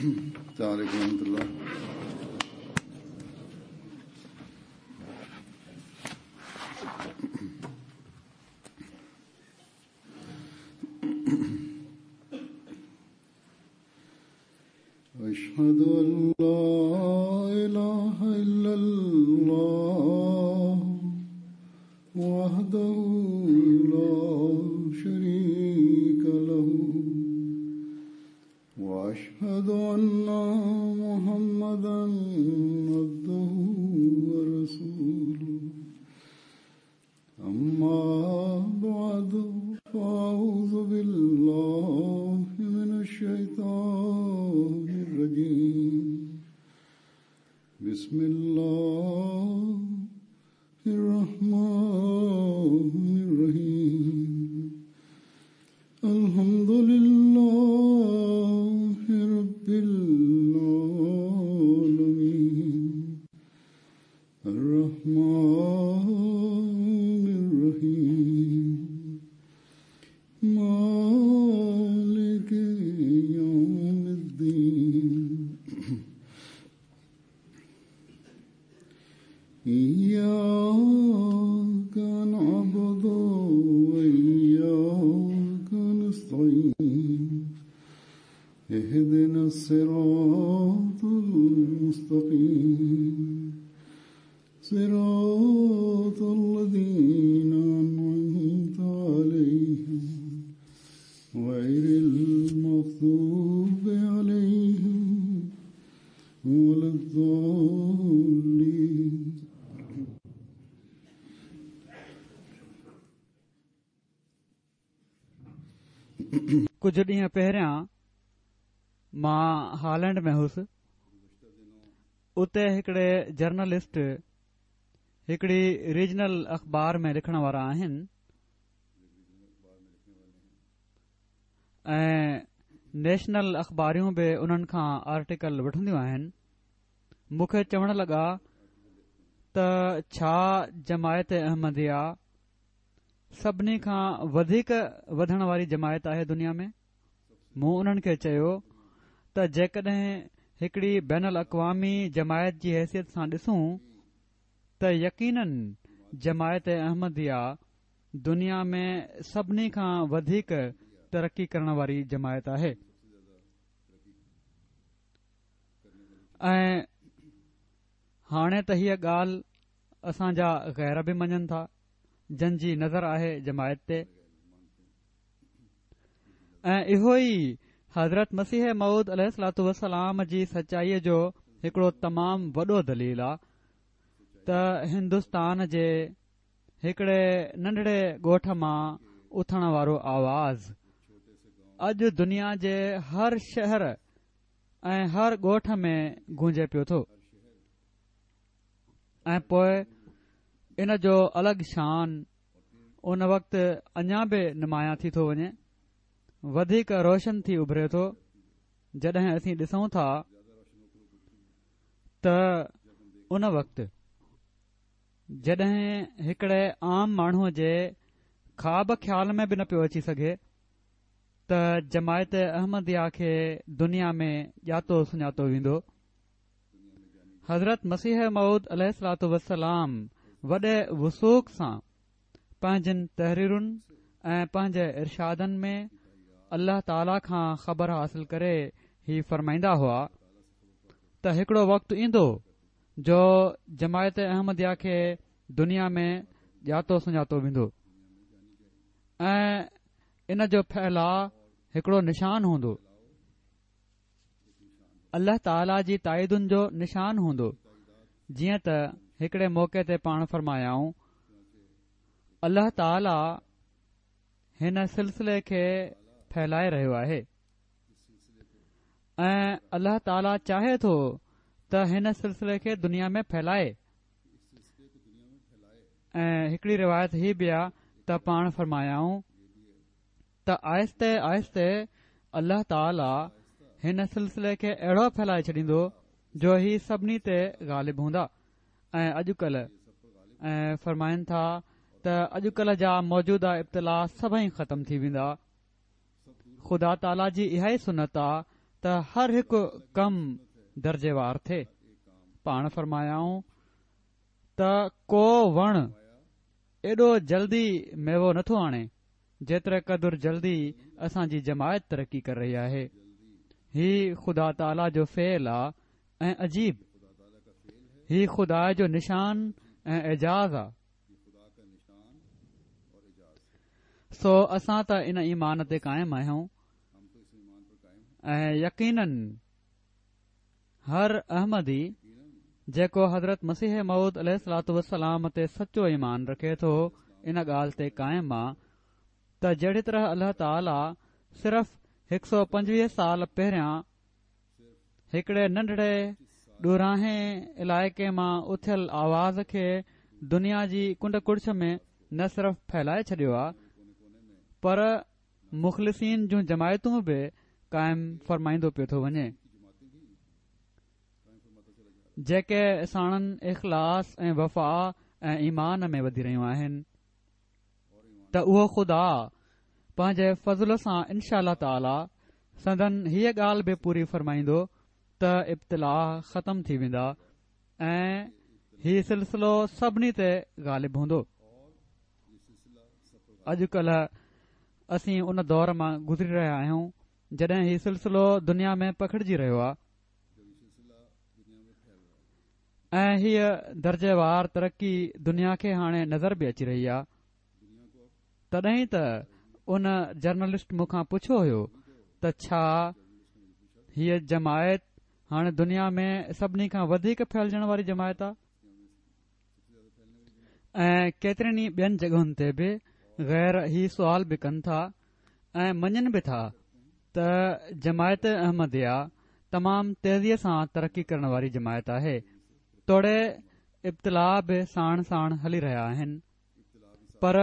السلام عليڪم ورحمة الله. اشهد ان لا اله الا الله وحده لا شريك له واشهد ان محمدا عبده ورسوله اما بعد فاعوذ بالله من الشيطان الرجيم بسم الله الرحمن الرحيم الحمد لله رب العالمين الرحمن الرحيم مالك يوم الدين إياك نعبد وإياك نستعين اهدنا الصراط المستقيم صراط الذين أنعمت عليهم غير المغضوب عليهم ولا الضالين. ڪجهه ڏينهن پهريان مان هالينڊ ۾ هوس. اتي هڪڙي جرنلسٽ هڪڙي ريجنل اخبار ۾ لکڻ وارا آهن ۽ نيشنل اخباريون به انهن کان آرٽيڪل وٺنديون آهن. مون کي چوڻ لڳا ته ڇا جماعت احمديه سڀني کان وڌيڪ وڌڻ واري جماعت آهي دنيا ۾؟ مون انهن کي چيو ته جيڪڏهن هڪڙي بين الاقوامي جماعت جي حيثيت سان ڏسون ته يقينن جماعت احمديه دنيا ۾ سڀني کان وڌيڪ ترقي ڪرڻ واري جماعت آهي ۽ هاڻي ته هيء ڳالهه اسان جا غير به مڃن ٿا جن جي نظر آهي جماعت تي. ۽ اهو ئي حضرت مسيح موعود عليه الصلوة والسلام جي سچائيء جو هڪڙو تمام وڏو دليل آ ته هندستان جي هڪڙي ننڍڙي ڳوٺ مان اٿڻ وارو آواز اڄ دنيا جي هر شهر ۽ هر ڳوٺ ۾ گونجي پيو ٿو ۽ پوء ان جو الڳ شان ان وقت اڃا به نمايان ٿي ٿو وڃي، وڌيڪ روشن ٿي اڀري ٿو، جڏهن اسين ڏسون ٿا ته ان وقت جڏهن هڪڙي عام ماڻهوء جي خواب خيال ۾ به نه پيو اچي سگهي ته جماعت احمديه کي دنيا ۾ ڄاتو سڃاتو ويندو. حضرت مسيح موعود عليه الصلوة والسلام وڏي وثوق سان پنهنجين تحريرن ۽ پنهنجي ارشادن ۾ الله تعاليٰ کان خبر حاصل ڪري هي فرمائيندا هئا ته هڪڙو وقت ايندو جو جماعت احمديه کي دنيا ۾ ڄاتو سڃاتو ويندو ۽ ان جو ڦهلاء هڪڙو نشان هوندو. الله تعاليٰ جي تائيدن جو نشان هوندو جيئن ته هڪڙي موقعي تي پاڻ فرمايائون الله تعاليٰ هن سلسلي کي ڦهلائي رهيو آهي ۽ الله تعاليٰ چاهي ٿو ته هن سلسلي کي دنيا ۾ ڦهلائي ۽ هڪڙي روايت هي به آ ته پاڻ فرمايائون ته آهستي آهستي الله تعاليٰ هن سلسلي کي اهڙو ڦهلائي ڇڏيندو جو هي سڀني تي غالب هوندا ۽ اڄڪلهه ۽ فرمائن ٿا ته اڄڪلهه جا موجوده ابتلا سڀئي ختم ٿي ويندا. خدا تعاليٰ جي اها ئي سنت آ ته ته هر هڪ ڪم درجيوار ٿئي. پاڻ فرمايائون ته ڪو وڻ ايڏو جلدي ميوو نٿو آڻي جيتري قدر جلدي اسان جي جماعت ترقي ڪري رهي آهي. هي خدا تعاليٰ جو فعل آ ۽ عجيب. هي خدا جو نشان ۽ اعجاز آ. سو اسان ته ان ايمان تي قائم آهيون ۽ يقيناً هر احمدي جيڪو حضرت مسيح موعود عليه الصلوة والسلام تي سچو ايمان رکي ٿو ان ڳالهه تي قائم آ ته جهڙي طرح الله تعاليٰ صرف هڪ سو پنجويهه سال پهريان هڪڙي ننڍڙي ڏورانهين علائقي مان اٿيل آواز کي دنيا جي ڪنڊ ڪڙڇ ۾ نه صرف ڦهلائي ڇڏيو آ پر مخلصين جون جماعتون به قائم فرمائيندو پيو ٿو وڃي جيڪي ساڻن اخلاص ۽ وفا ۽ ايمان ۾ وڌي رهيون آهن ته اهو خدا پنهنجي فضل سان انشاء الله تعاليٰ سندن هيء ڳالهه به پوري فرمائيندو ته ابتلاء ختم ٿي ويندا ۽ هي سلسلو سڀني تي غالب هوندو. اڄڪلهه اسين ان دور مان گذري رهيا آهيون جڏهن هي سلسلو دنيا ۾ پکڙجي رهيو آهي ۽ هيء درجيوار ترقي دنيا کي هاڻي نظر به اچي رهي آهي تڏهن ئي ته ان جرنلسٽ مون کان پڇيو هيو ته ڇا هيء جماعت هاڻي دنيا ۾ سڀني کان وڌيڪ ڦهلجڻ واري جماعت آهي ۽ ڪيترين ئي ٻين جڳهن تي به غير هي سوال به ڪن ٿا ۽ مڃن به ٿا ته جماعت احمديه تمام تيزيء سان ترقي ڪرڻ واري جماعت آهي توڙي ابتلاء به ساڻ ساڻ هلي رهيا آهن پر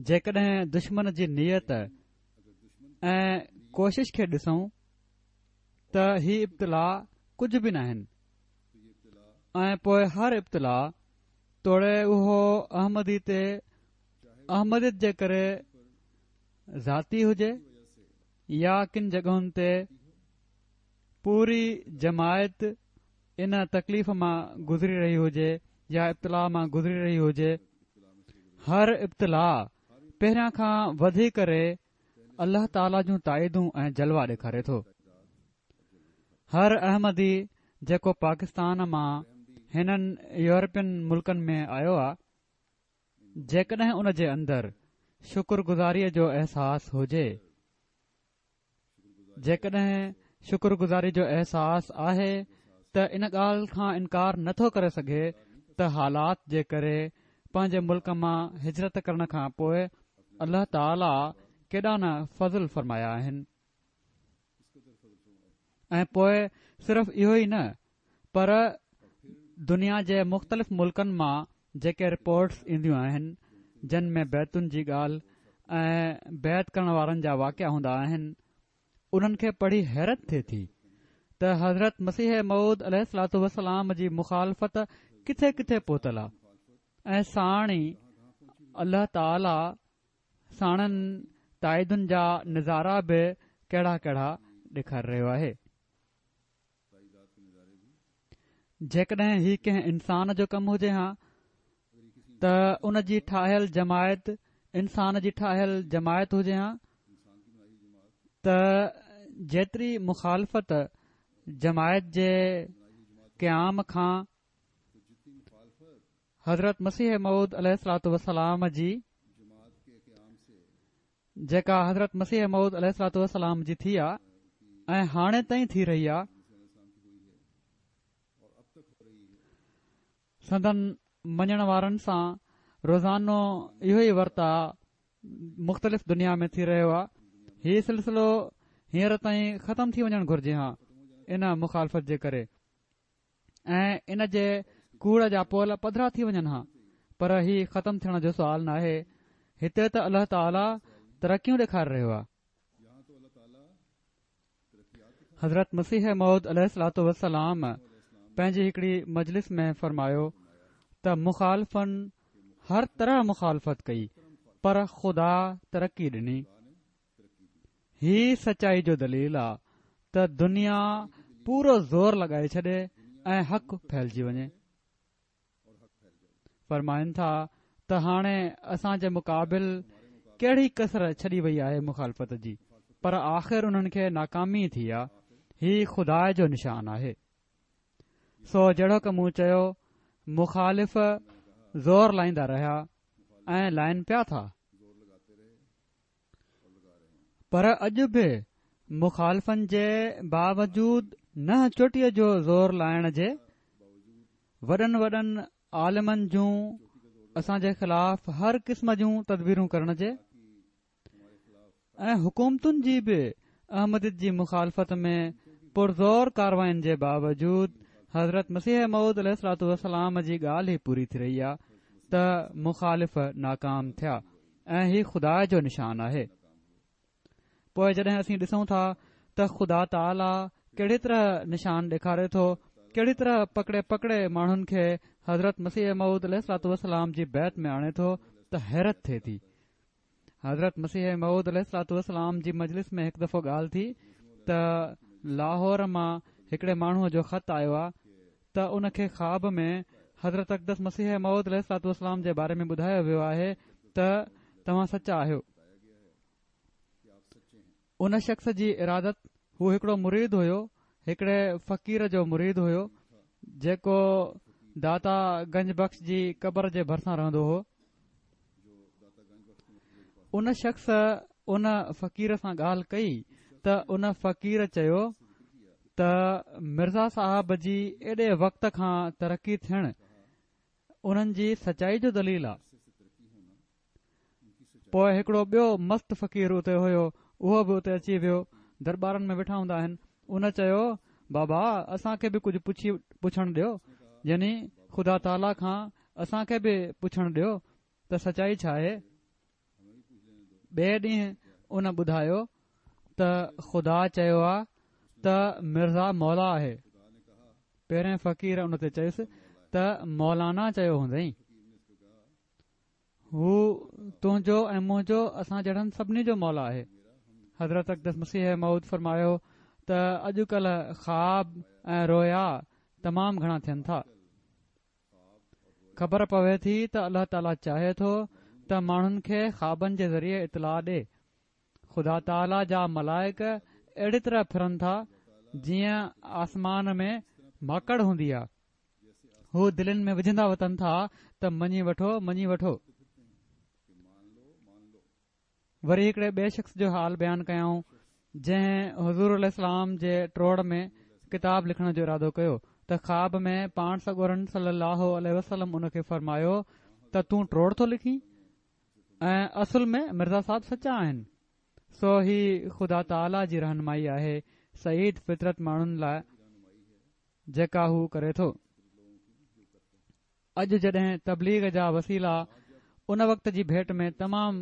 جيڪڏهن دشمن جي نيت ۽ ڪوشش کي ڏسون ته هي ابتلاء ڪجهه به ناهن ۽ پوء هر ابتلاء توڙي اهو احمدي تي احمديت جي ڪري ذاتي هجي يا ڪن جڳهن تي پوري جماعت ان تڪليف مان گذري رهي هجي يا ابتلاء مان گذري رهي هجي، هر ابتلاء پهريان کان وڌي ڪري الله تعاليٰ جون تائيدون ۽ جلوا ڏيکاري ٿو. هر احمدي جيڪو پاڪستان مان هنن يورپين ملڪن ۾ آيو آ، جيڪڏهن ان جي اندر شڪر گذاريء جو احساس هجي، جيڪڏهن شڪر گذاري جو احساس آهي ته ان ڳالهه کان انڪار نه ٿو ڪري سگهي ته حالات جي ڪري پنهنجي ملڪ مان هجرت ڪرڻ کان پوء الله تعاليٰ ڪيڏا نه فضل فرمايا آهن ۽ پوء صرف اهو ئي نه پر دنيا جي مختلف ملڪن مان جيڪي رپورٽس اينديون آهن جن ۾ بيعتن جي ڳالهه ۽ بيعت ڪرڻ وارن جا واقعا هوندا آهن انهن کي پڙهي حيرت ٿئي ٿي ته حضرت مسيح موعود عليه الصلوة والسلام جي مخالفت ڪٿي ڪٿي پهتل آهي ۽ ساڻ ئي الله تعاليٰ ساڻن تائيدن جا نظارا به ڪهڙا ڪهڙا ڏيکاري رهيو آهي. جيڪڏهن هي ڪنهن انسان جو ڪم هجي ها ته ان جي ٺاهيل جماعت انسان جي ٺاهيل جماعت هجي ها ته جيتري مخالفت جماعت جي قيام کان حضرت مسيح موعود عليه الصلوة والسلام جي جيڪا حضرت مسيح موعود عليه الصلوة والسلام جي ٿي آ ۽ هاڻي تائين ٿي رهي آ سندن مڃڻ وارن سان روزانو اهو ئي ورتاء مختلف دنيا ۾ ٿي رهيو آ هي سلسلو هينئر تائين ختم ٿي وڃڻ گهرجي ها ان مخالفت جي ڪري ۽ ان جي ڪوڙ جا پول پڌرا ٿي وڃن ها پر هي ختم ٿيڻ جو سوال ناهي هتي ته الله تعاليٰ ترقيون ڏيکاري رهيو آهي. حضرت مسيح موعود عليه الصلوة والسلام پنهنجي هڪڙي مجلس ۾ فرمايو ته مخالفن هر طرح مخالفت ڪئي پر خدا ترقي ڏني. هي سچائي جو دليل آ. ته دنيا پورو زور لڳائي ڇڏي ۽ حق ڦهلجي وڃي. فرمائن ٿا ته هاڻي اسان جي مقابل ڪهڙي ڪسر ڇڏي وئي آهي مخالفت جي پر آخر انهن کي ناڪامي ٿي آ هي خدا جو نشان آهي سو جهڙوڪ مون چيو مخالف زور لائيندا رهيا ۽ لائن پيا ٿا پر اڄ به مخالفن جي باوجود ننهن چوٽيء جو زور لائڻ جي وڏن وڏن عالمن جون اسان جي خلاف هر قسم جون تدبيرون ڪرڻ جي ۽ حڪومتن جي به احمديت جي مخالفت ۾ پرزور ڪارواين جي باوجود حضرت مسيح موعود عليه الصلوة والسلام جي ڳالهه ئي پوري ٿي رهي آهي ته مخالف ناڪام ٿيا. ۽ هي خدا جو نشان آهي. پوء جڏهن اسين ڏسون ٿا ته خدا تعاليٰ ڪهڙي طرح نشان ڏيکاري ٿو، ڪهڙي طرح پڪڙي پڪڙي ماڻهن کي حضرت مسيح موعود عليه الصلوة والسلام جي بيعت ۾ آڻي ٿو ته حيرت ٿئي ٿي. حضرت مسيح موعود عليه الصلوة والسلام جي مجلس ۾ هڪ دفعو ڳالهه ٿي ته لاهور مان هڪڙي ماڻهوء جو خط آيو آهي ته ان کي خواب ۾ حضرت اقدس مسيح موعود عليه الصلوة والسلام جي باري ۾ ٻڌايو ويو آهي ته توهان سچا آهيو. ان شخص جي ارادت هو هڪڙو مريد هيو، هڪڙي فقير جو مريد هيو، جيڪو داتا گنج بخش جي قبر جي ڀرسان رهندو هو. ان شخص ان فقير سان ڳالهه ڪئي ته ان فقير چيو ته مرزا صاحب جي ايڏي وقت کان ترقي ٿيڻ انهن جي سچائي جو دليل آ. پوء هڪڙو ٻيو مست فقير اتي هيو اهو به اتي اچي ويو درٻارن ۾ ويٺا هوندا آهن ان چيو بابا اسان کي به ڪجهه پڇي پڇڻ ڏيو يعني خدا تعاليٰ کان اسان کي به پڇڻ ڏيو ته سچائي ڇا آهي؟ ٻئي ڏينهن ان ٻڌايو ته خدا چيو آ ته مرزا مولا آهي. پهرين فقير ان تي چيس ته مولانا چيو هوندئين. هو تنهنجو ۽ منهنجو اسان جهڙن سڀني جو مولا آهي. حضرت اقدس مسيح موعود فرمايو ته اڄ ڪلهه خواب ۽ رويا تمام گهڻا ٿين ٿا. خبر پوي ٿي ته الله تعاليٰ چاهي ٿو ته ماڻهن کي خوابن جي ذريعي اطلاع ڏي. خدا تعاليٰ جا ملائڪ اهڙي طرح ڦرن ٿا جيئن آسمان ۾ ماڪڙ هوندي آ. هو دلين ۾ وجهندا وتن ٿا ته مڃي وٺو، مڃي وٺو. وري هڪڙي ٻئي شخص جو حال بيان ڪيائون جنهن حضور عليه السلام جي ٽوڙ ۾ ڪتاب لکڻ جو ارادو ڪيو ته خواب ۾ پاڻ سڳورن صلي الله عليه وسلم ان کي فرمايو ته تون ٽوڙ ٿو لکين ۽ اصل ۾ مرزا صاحب سچا آهن سو هي خدا تعاليٰ جي رهنمائي آهي سعيد فطرت ماڻهن لاء جيڪا هو ڪري ٿو. اڄ جڏهن تبليغ جا وسيلا ان وقت جي ڀيٽ ۾ تمام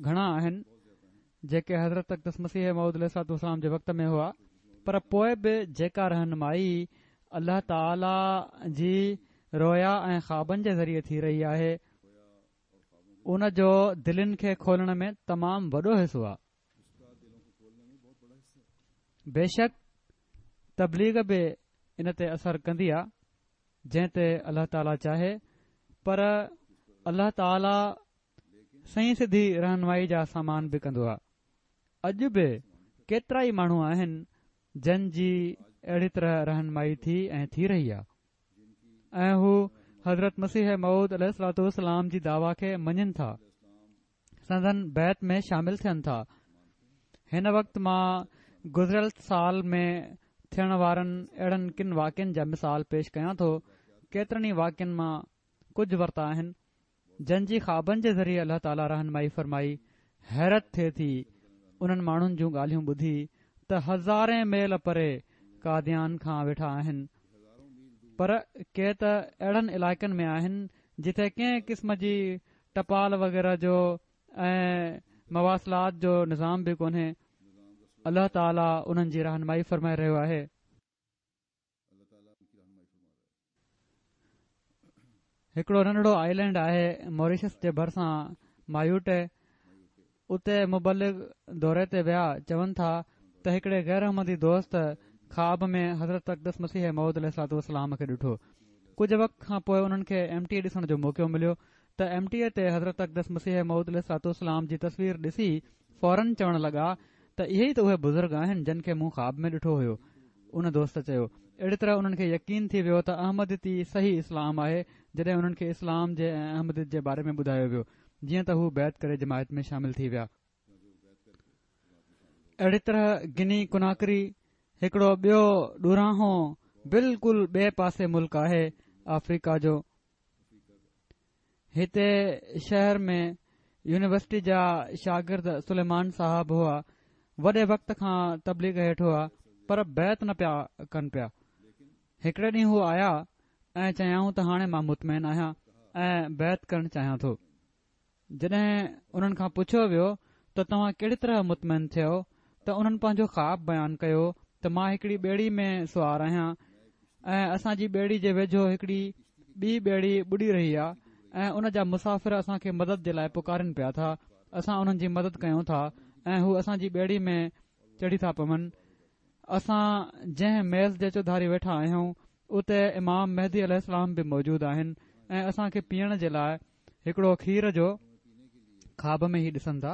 گهڻا آهن جيڪي حضرت اقدس مسيح موعود عليه الصلوة والسلام جي وقت ۾ هئا پر پوء به جيڪا رهنمائي الله تعالي جي رويا ۽ خوابن جي ذريعي ٿي رهي آهي ان جو دلين کي کولڻ ۾ تمام وڏو حصو آهي. بيشڪ تبليغ به ان تي اثر ڪندي آهي. جنهن تي الله تعاليٰ چاهي پر الله تعاليٰ سنئين سڌي رهنمائي جا سامان به ڪندو آهي. اڄ به ڪيترائي ماڻهو آهن جن جي اهڙي طرح رهنمائي ٿي ۽ ٿي رهي آهي ۽ هو حضرت مسيح موعود عليه الصلوة والسلام جي دعويٰ کي مڃين ٿا. سندن بيعت ۾ شامل ٿين ٿا. هن وقت مان گذريل سال ۾ ٿيڻ وارن اهڙن ڪن واقعن جا مثال پيش ڪيان ٿو. ڪيترن ئي واقعن مان ڪجهه ورتا آهن، جن جي خوابن جي ذريعي الله تعاليٰ رهنمائي فرمائي. حيرت ٿئي ٿي انهن ماڻهن جون ڳالهيون ٻڌي ته هزارين ميل پري قاديان کان ويٺا آهن، پر ڪي ته اهڙن علائقن ۾ آهن جتي ڪنهن قسم جي ٽپال وغيره جو ۽ مواصلات جو نظام به ڪونهي الله تعالي انهن جي رهنمائي فرمائي رهيو آهي. هڪڙو ننڍڙو آئلينڊ آهي موريشس جي ڀرسان مايوٽي اتي مبلغ دوري تي ويا چون ٿا ته هڪڙي غير احمدي دوست خواب ۾ حضرت اقدس مسيح موعود عليه الصلوة والسلام کي ڏٺو. ڪجهه وقت کان پوء انهن کي ايم ٽي اي ڏسڻ جو موقعو مليو ته ايم ٽي اي تي حضرت اقدس مسيح موعود عليه الصلوة والسلام جي تصوير ڏسي فوراً چوڻ لڳا ته اهي ئي ته اهي بزرگ آهن جن کي مون خواب ۾ ڏٺو هيو. ان دوست چيو. اهڙي طرح انهن کي يقين ٿي ويو ته احمديت ئي صحيح اسلام آهي جڏهن انهن کي اسلام جي ۽ احمديت جي باري ۾ ٻڌايو ويو جيئن ته هو بيعت ڪري جماعت ۾ شامل ٿي ويا. اهڙي طرح گني ڪناڪري هڪڙو ٻيو ڏورانهون بلڪل ٻئي پاسي ملڪ آهي آفريڪا جو. هتي شهر ۾ يونيورسٽي جا شاگرد سليمان صاحب هئا وڏي وقت کان تبليغ هيٺ هئا پر بيعت نه پيا ڪن پيا هڪڙي ڏينهن هو آيا ۽ چيائون ته هاڻي مان مطمئن آهيان ۽ بيعت ڪرڻ چاهيان ٿو جڏهن انهن کان پڇيو ويو ته توهان ڪهڙي طرح مطمئن ٿيو ته انهن پنهنجو خواب بيان ڪيو ته مان هڪڙي ٻيڙي ۾ سوار آهيان ۽ اسان جي ٻيڙي جي ويجهو هڪڙي ٻي ٻيڙي ٻڏي رهي آهي ۽ ان جا مسافر اسان کي مدد جي لاء پڪارين پيا ٿا اسان انهن جي مدد ڪيون ٿا ۽ هو اسان جي ٻيڙي ۾ چڙهي ٿا پون اسان جنهن ميز جي چوڌاري ويٺا آهيون اتي امام مهدي عليه السلام به موجود آهن ۽ اسان کي پيئڻ جي لاء هڪڙو کير جو خواب ۾ هي ڏسن ٿا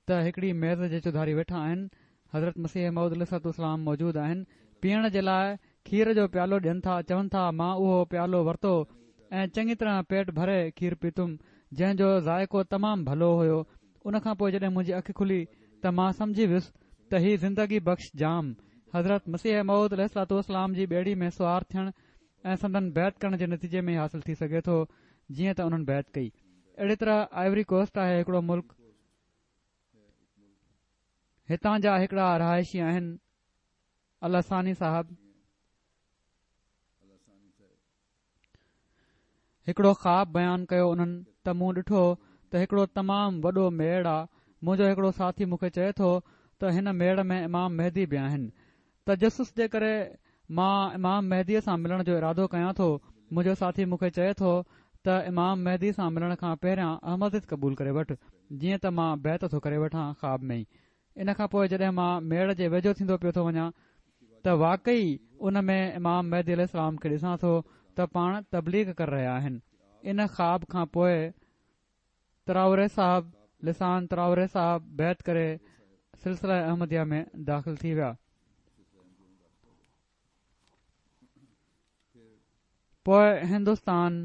ته هڪڙي ميز جي چوڌاري ويٺا آهن حضرت مسيح موعود عليه الصلوة والسلام موجود آهن پيئڻ جي لاء کير جو پيالو ڏين ٿا چون ٿا مان اهو پيالو ورتو ۽ چڱي طرح پيٽ ڀري کير پيتم جنهن جو ذائقو تمام ڀلو هيو ان کان پوء جڏهن منهنجي اک کلي ته مان سمجهي ويس ته هي زندگي بخش جام حضرت مسيح موعود عليه الصلوة والسلام جي ٻيڙي ۾ سوار ٿيڻ ۽ سندن بيعت ڪرڻ جي نتيجي ۾ ئي حاصل ٿي سگهي ٿو جيئن ته انهن بيعت ڪئي. اهڙي طرح آئيوري ڪوسٽ آهي هڪڙو ملڪ هتان جا هڪڙا رهائشي آهن الحساني صاحب هڪڙو خواب بيان ڪيو انهن ته مون ڏٺو ته هڪڙو تمام وڏو ميڙ آ منهنجو هڪڙو ساٿي مون کي چئي ٿو ته هن ميڙ ۾ امام مهدي به آهن تجسس جي ڪري مان امام مهديء سان ملڻ جو ارادو ڪيان ٿو. منهنجو ساٿي مون کي چئي ٿو ته امام مهدي سان ملڻ کان پهريان احمديت قبول ڪري وٺ، جيئن ته مان بيعت ٿو ڪري وٺان خواب ۾ ئي. ان کان پوء جڏهن مان ميڙ جي ويجهو ٿيندو پيو ٿو وڃان ته واقعي ان ۾ امام مهدي عليه السلام کي ڏسان ٿو ته پاڻ تبليغ ڪري رهيا آهن. ان خواب کان پوء تراوري صاحب لسان تراوري صاحب بيعت ڪري سلسله احمديه ۾ داخل ٿي ويا. پوء هندستان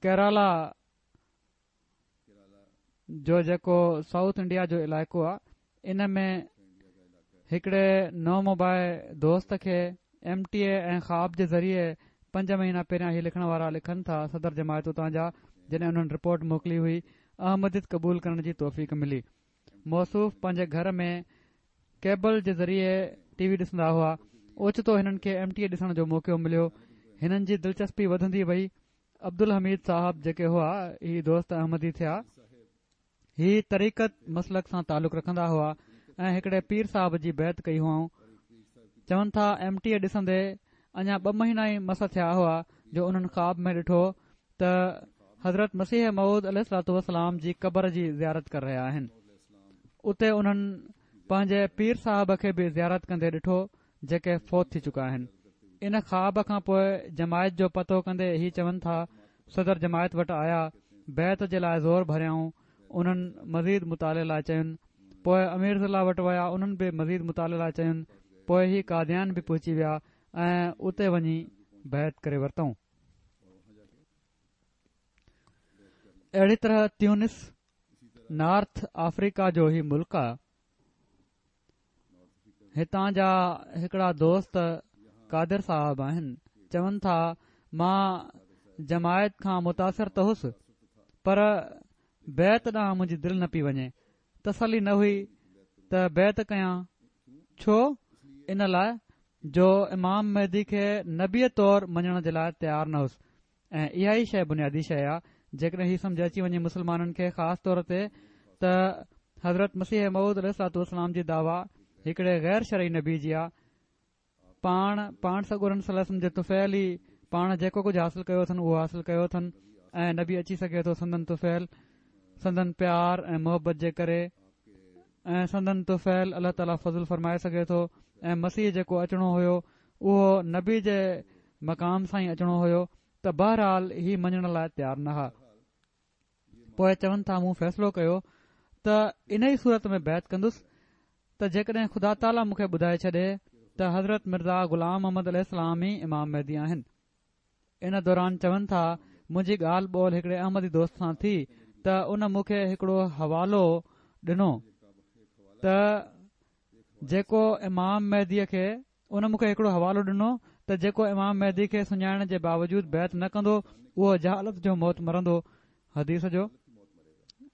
ڪيرالا جو جيڪو سائوٿ انڊيا جو علائقو آ ان ۾ هڪڙي نومبائع دوست کي ايم ٽي اي ۽ خواب جي ذريعي پنج مهينا پهريان هي لکڻ وارا لکن ٿا صدر جماعت اتان جا جڏهن انهن رپورٽ موڪلي هئي احمديت قبول ڪرڻ جي توفيق ملي موصوف پنهنجي گهر ۾ ڪيبل جي ذريعي ٽي وي ڏسندا هئا اوچتو هنن کي ايم ٽي اي ڏسڻ جو موقعو مليو هنن جي دلچسپي وڌندي وئي عبدالحميد صاحب جيڪي هئا هي دوست احمدي ٿيا هي طريقت مسلڪ سان تعلق رکندا هئا ۽ هڪڙي پير صاحب جي بيعت ڪئي هئائون چون ٿا ايم ٽي اي ڏسندي اڃا ٻه مهينا ئي مس ٿيا هئا جو انهن خواب ۾ ڏٺو ته حضرت مسيح موعود عليه الصلوة والسلام جي قبر جي زيارت ڪري رهيا آهن اتي انهن پنهنجي پير صاحب کي به زيارت ڪندي ڏٺو جيڪي فوت ٿي چڪا آهن. ان خواب کان پوء جماعت جو پتو ڪندي هي چون ٿا، صدر جماعت وٽ آيا، بيعت جي لاء زور ڀريائون، انهن مزيد مطالعي لاء چين، پوء امير ضلع وٽ ويا انهن به مزيد مطالعي لاء چين، پوء هي قاديان به پهچي ويا ۽ اتي وڃي بيعت ڪري ورتائون. اهڙي طرح تيونس، نارٿ آفريڪا جو هي ملڪ آ. هتان جا هڪڙا دوست قادر صاحب آهن چون ٿا مان جماعت کان متاثر ته هوس پر بيعت ڏانهن منهنجي دل نه پئي وڃي تسلي نه هئي ته بيعت ڪيان ڇو ان لاء جو امام مهدي کي نبي طور مڃڻ جي لاء تيار نه هوس ۽ اها ئي شيء بنيادي شيء آ، جيڪڏهن هي سمجهه اچي وڃي مسلمانن کي خاص طور تي ته حضرت مسيح موعود عليه الصلوة والسلام جي دعويٰ هڪڙي غير شرعي نبي جي آ، پاڻ پاڻ سڳورن صلي الله عليه وسلم جي طفيل ئي پاڻ جيڪو ڪجهه حاصل ڪيو اٿن اهو حاصل ڪيو اٿن ۽ نبي اچي سگهي ٿو سندن طفيل سندن پيار ۽ محبت جي ڪري. ۽ سندن طفيل الله تعاليٰ فضل فرمائي سگهي ٿو ۽ مسيح جيڪو اچڻو هيو اهو نبي جي مقام سان ئي اچڻو هيو ته بهرحال هي مڃڻ لاء تيار نه ها. پوء چون ٿا مون فيصلو ڪيو ته انهي صورت ۾ بيعت ڪندس ته جيڪڏهن خدا تعاليٰ مون کي ٻڌائي ڇڏي ته حضرت مرزا غلام احمد عليه السلام ئي امام مهدي آهن. ان دوران چون ٿا منهنجي ڳالهه ٻولهه هڪڙي احمدي دوست سان ٿي ته ان مون کي هڪڙو حوالو ڏنو ته جيڪو امام مهدي کي ان مون کي هڪڙو حوالو ڏنو ته جيڪو امام مهدي کي سڃاڻڻ جي باوجود بيعت نه ڪندو اهو جهالت جو موت مرندو حديث جو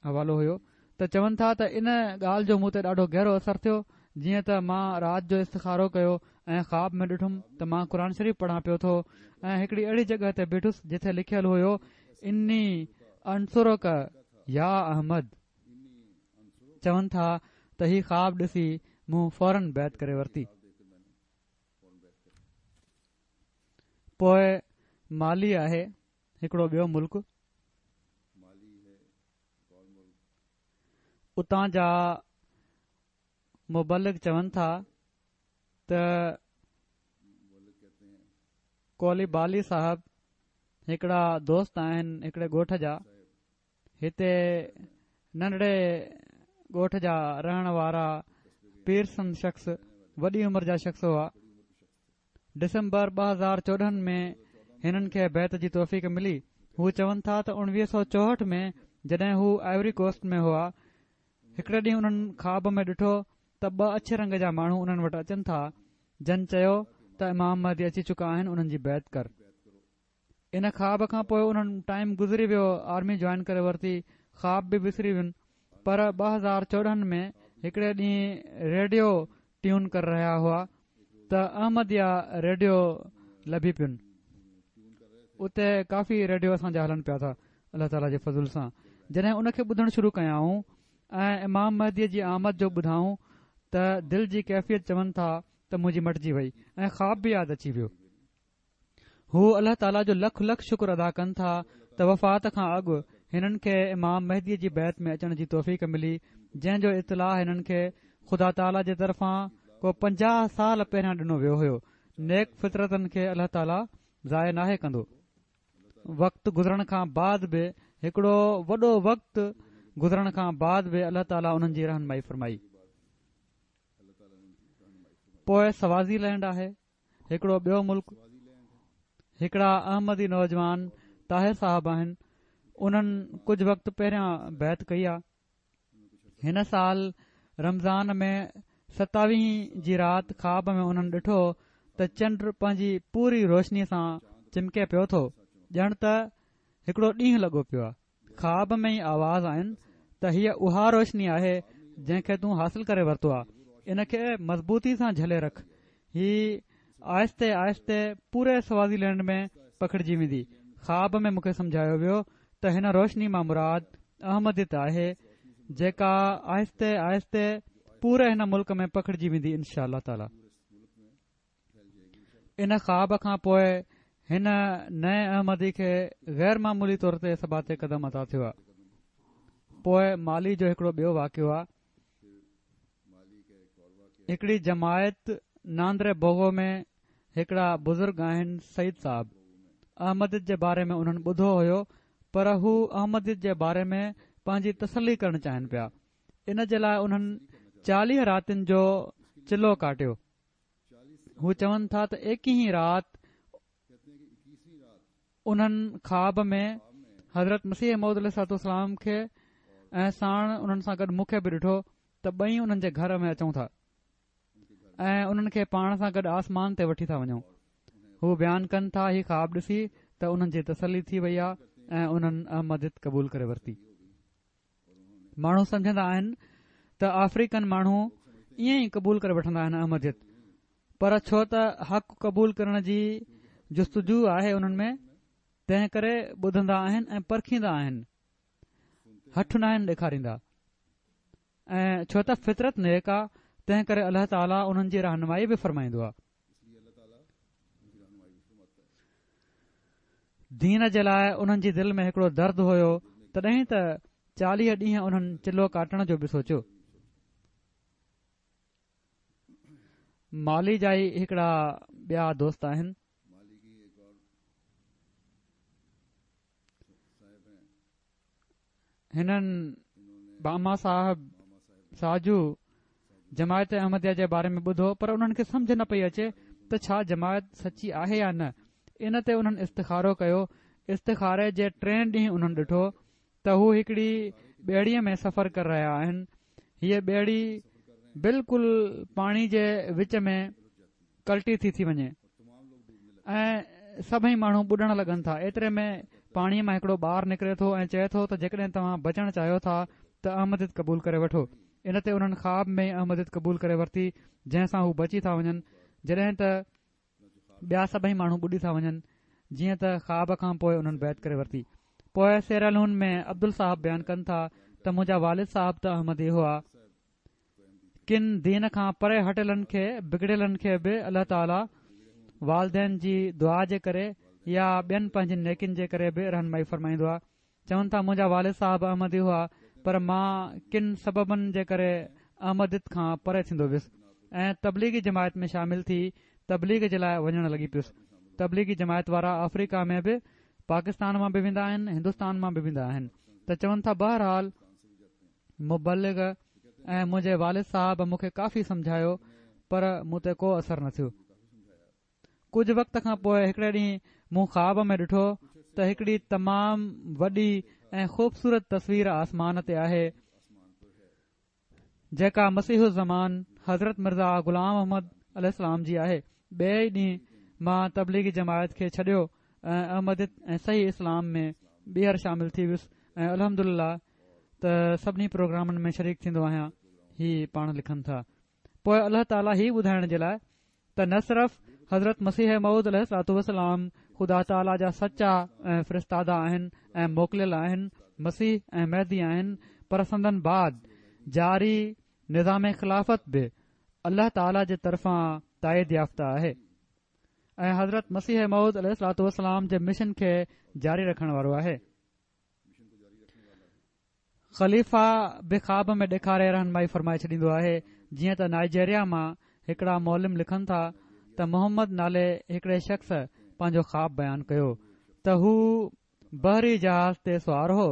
حوالو هيو ته چون ٿا ته ان ڳالهه جو مون تي ڏاڍو گهرو اثر ٿيو جيئن ته مان رات جو استخارو ڪيو ۽ خواب ۾ ڏٺم ته مان قرآن شريف پڙهان پيو ٿو ۽ هڪڙي اهڙي جڳهه تي بيٺس جتي لکيل هيو اني انصرڪ يا احمد چون ٿا ته هي خواب ڏسي مون فورن بيعت ڪري ورتي. پوء مالي آهي هڪڙو ٻيو ملڪ. اتان جا مبلغ چون ٿا ته ڪولي بالي صاحب هڪڙا دوست آهن هڪڙي ڳوٺ جا. هتي ننڍڙي ڳوٺ جا رهڻ وارا پيرسن شخص وڏي عمر جا شخص هئا. ڊسمبر 2014 ۾ هنن کي بيعت جي توفيق ملي. هو چون ٿا ته 1964 ۾ جڏهن هو آئيوري ڪوسٽ ۾ هئا، هڪڙي ڏينهن انهن خواب ۾ ڏٺو ته ٻه اڇي رنگ جا ماڻهو انهن وٽ اچن ٿا، جن چيو ته امام مهدي اچي چڪا آهن انهن جي بيعت ڪر. ان خواب کان پوء انهن ٽائيم گذري ويو آرمي جوائن ڪري ورتي خواب به وسري وين پر 2014 ۾ هڪڙي ڏينهن ريڊيو ٽيون ڪري رهيا هئا ته احمديه ريڊيو لڀي پين اتي ڪافي ريڊيو اسان جا هلن پيا ٿا الله تعالي جي فضل سان جڏهن ان کي ٻڌڻ شروع ڪيائون ۽ امام مهدي جي آمد جو ٻڌائون ته دل جي ڪيفيت چون ٿا ته منهنجي مٽجي وئي ۽ خواب به ياد اچي ويو هو الله تعاليٰ جو لک لک شڪر ادا ڪن ٿا ته وفات کان اڳ هنن کي امام مهدي جي بيعت ۾ اچڻ جي توفيق ملي جنهن جو اطلاع هنن کي خدا تعاليٰ جي طرفان ڪو 50 سال پهريان ڏنو ويو هيو نيڪ فطرتن کي الله تعاليٰ ضايع ناهي ڪندو وقت گذرڻ کان بعد به هڪڙو وڏو وقت گذرڻ کان بعد به الله تعاليٰ انهن جي رهنمائي فرمائي پوء سوازي لينڊ آهي هڪڙو ٻيو ملڪ هڪڙا احمدي نوجوان طاهر صاحب آهن انهن ڪجهه وقت پهريان بيعت ڪئي آ هن سال رمضان ۾ ستاويهين جي رات خواب ۾ انهن ڏٺو ته چنڊ پنهنجي پوري روشني سان چمڪي پيو ٿو ڄڻ ته هڪڙو ڏينهن لڳو پيو آ خواب ۾ ئي آواز آين ته هيء اها روشني آهي جنهن کي تون حاصل ڪري ورتو آ ان کي مضبوطي سان جهلي رک هي آهستي آهستي پوري سوازي لينڊ ۾ پکڙجي ويندي خواب ۾ مون کي سمجهايو ويو ته هن روشني مان مراد احمديت آهي جيڪا آهستي آهستي پوري هن ملڪ ۾ پکڙجي ويندي انشاء الله تعالي. ان خواب کان پوء هن نئين احمدي کي غير معمولي طور تي ثبات قدم عطا ٿيو آهي. پوء مالي جو هڪڙو ٻيو واقعو آهي. هڪڙي جماعت ناندري بوگو ۾ هڪڙا بزرگ آهن سعيد صاحب. احمديت جي باري ۾ انهن ٻڌو هيو پر هو احمديت جي باري ۾ پنهنجي تسلي ڪرڻ چاهين پيا. ان جي لاء انهن 40 راتين جو چلو ڪاٽيو. هو چون ٿا ته ايڪيهين رات انهن خواب ۾ حضرت مسيح موعود عليه الصلوة والسلام کي ۽ ساڻ انهن سان گڏ مون کي به ڏٺو ته ٻئي انهن جي گهر ۾ اچون ٿا ۽ انهن کي پاڻ سان گڏ آسمان تي وٺي ٿا وڃون هو بيان ڪن ٿا هي خواب ڏسي ته انهن جي تسلي ٿي وئي آهي ۽ انهن احمديت قبول ڪري ورتي ماڻهو سمجهندا آهن ته آفريڪن ماڻهو ائين ئي قبول ڪري وٺندا آهن احمديت پر ڇو ته حق قبول ڪرڻ جي جستجو آهي انهن ۾ تنهن ڪري ٻڌندا آهن ۽ پرکيندا آهن هٺ ناهن ڏيکاريندا ۽ ڇو ته فطرت نيڪ آ تنهن ڪري الله تعاليٰ انهن جي رهنمائي به فرمائيندو آ دين جي لاء انهن جي دل ۾ هڪڙو درد هيو تڏهن ته 40 ڏينهن انهن چلو ڪاٽڻ جو به سوچيو. مالي جا ئي هڪڙا ٻيا دوست آهن. هنن باما صاحب ساجو جماعت احمديه جي باري ۾ ٻڌو پر انهن کي سمجهه نه پئي اچي ته ڇا جماعت سچي آهي يا نه ان تي انهن استخارو ڪيو استخاري جي ٽئين ڏينهن انهن ڏٺو ته هو هڪڙي ٻيڙيء ۾ سفر ڪري رهيا آهن هيء ٻيڙي بلڪل پاڻي جي وچ ۾ ڪلٽي ٿي ٿي وڃي ۽ سڀئي ماڻهو ٻڏڻ لڳن ٿا ايتري ۾ پاڻيء مان هڪڙو ٻار نڪري ٿو ۽ چئي ٿو ته جيڪڏهن توهان بچڻ چاهيو ٿا ته احمديت قبول ڪري وٺو ان تي انهن خواب ۾ ئي احمديت قبول ڪري ورتي جنهن سان هو بچي ٿا وڃن جڏهن ته ٻيا سڀئي ماڻهو ٻڏي ٿا وڃن جيئن ته خواب کان پوء انهن بيعت ڪري ورتي پوء سيراليون ۾ عبدل صاحب بيان ڪن ٿا ته منهنجا والد صاحب ته احمدي هئا ڪن دين کان پري هٽيلن کي بگڙيلن کي به الله تعالي والدين جي دعا جي ڪري يا ٻين پنهنجين نيڪين جي ڪري به رهنمائي فرمائيندو آهي. چون ٿا منهنجا والد صاحب احمدي هئا پر مان ڪن سببن جي ڪري احمديت کان پري ٿيندو ويس ۽ تبليغي جماعت ۾ شامل ٿي تبليغ جي لاء وڃڻ لڳي پيس. تبليغي جماعت وارا آفريڪا ۾ به پاڪستان مان به ويندا آهن هندستان مان به ويندا آهن ته چون ٿا بهرحال مبلغ ۽ منهنجي والد صاحب مون کي ڪافي سمجهايو پر مون تي ڪو اثر نه ٿيو. ڪجهه وقت کان پوء هڪڙي ڏينهن مون خواب ۾ ڏٺو ته هڪڙي تمام وڏي ۽ خوبصورت تصوير آسمان تي آهي جيڪا مسيح الزمان حضرت مرزا غلام احمد عليه السلام جي آهي. ٻئي ئي ڏينهن مان تبليغي جماعت کي ڇڏيو ۽ احمديت ۽ صحيح اسلام ۾ ٻيهر شامل ٿي ويس ۽ الحمدلله ته سڀني پروگرامن ۾ شريڪ ٿيندو آهيان هي پاڻ لکن ٿا پوء الله تعاليٰ هي ٻڌائڻ جي لاء ته نه صرف حضرت مسيح موعود عليه الصلوة والسلام خدا تعاليٰ جا سچا ۽ فرستادا آهن ۽ موڪليل آهن مسيح ۽ مهدي آهن پر سندن بعد جاري نظام خلافت به الله تعاليٰ جي طرفان تائيد يافته آهي ۽ حضرت مسيح موعود عليه الصلوة والسلام جي مشن کي جاري رکڻ وارو آهي. خليفا به خواب ۾ ڏيکاري رهنمائي فرمائي ڇڏيندو آهي جيئن ته نائجيريا مان هڪڙا معلم لکن ٿا ته محمد نالي هڪڙي شخص پنهنجو خواب بيان ڪيو ته هو بحري جهاز تي سوار هو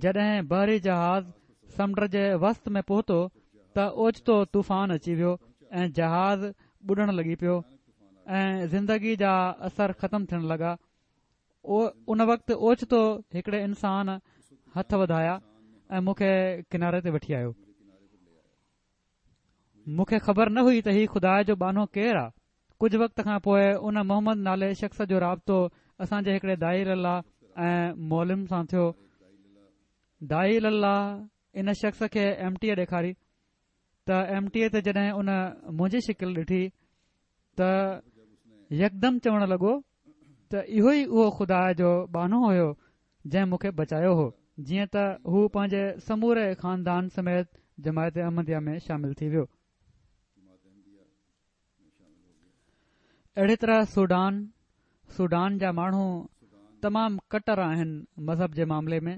جڏهن بحري جهاز سمنڊ جي وسط ۾ پهتو ته اوچتو طوفان اچي ويو ۽ جهاز ٻڏڻ لڳي پيو ۽ زندگي جا اثر ختم ٿيڻ لڳا ان وقت اوچتو هڪڙي انسان هٿ وڌايا ۽ مون کي ڪناري تي وٺي آيو. مون کي خبر نه هئي ته هي خدا جو ٻانهو ڪير آ. ڪجهه وقت کان پوء ان محمد نالي شخص جو رابطو اسان جي هڪڙي داعي الي الله ۽ معلم سان ٿيو. داعي الي الله ان شخص کي ايم ٽي اي ڏيکاري ته ايم ٽي اي تي جڏهن ان منهنجي شڪل ڏٺي ته يڪدم چوڻ لڳو ته اهو ئي اهو خدا جو ٻانهو هيو جنهن مون کي بچايو هو جيئن ته هو پنهنجي سموري خاندان سميت جماعت احمديه ۾ شامل ٿي ويو. اهڙي طرح سوڊان، سوڊان جا ماڻهو تمام ڪٽر آهن مذهب جي معاملي ۾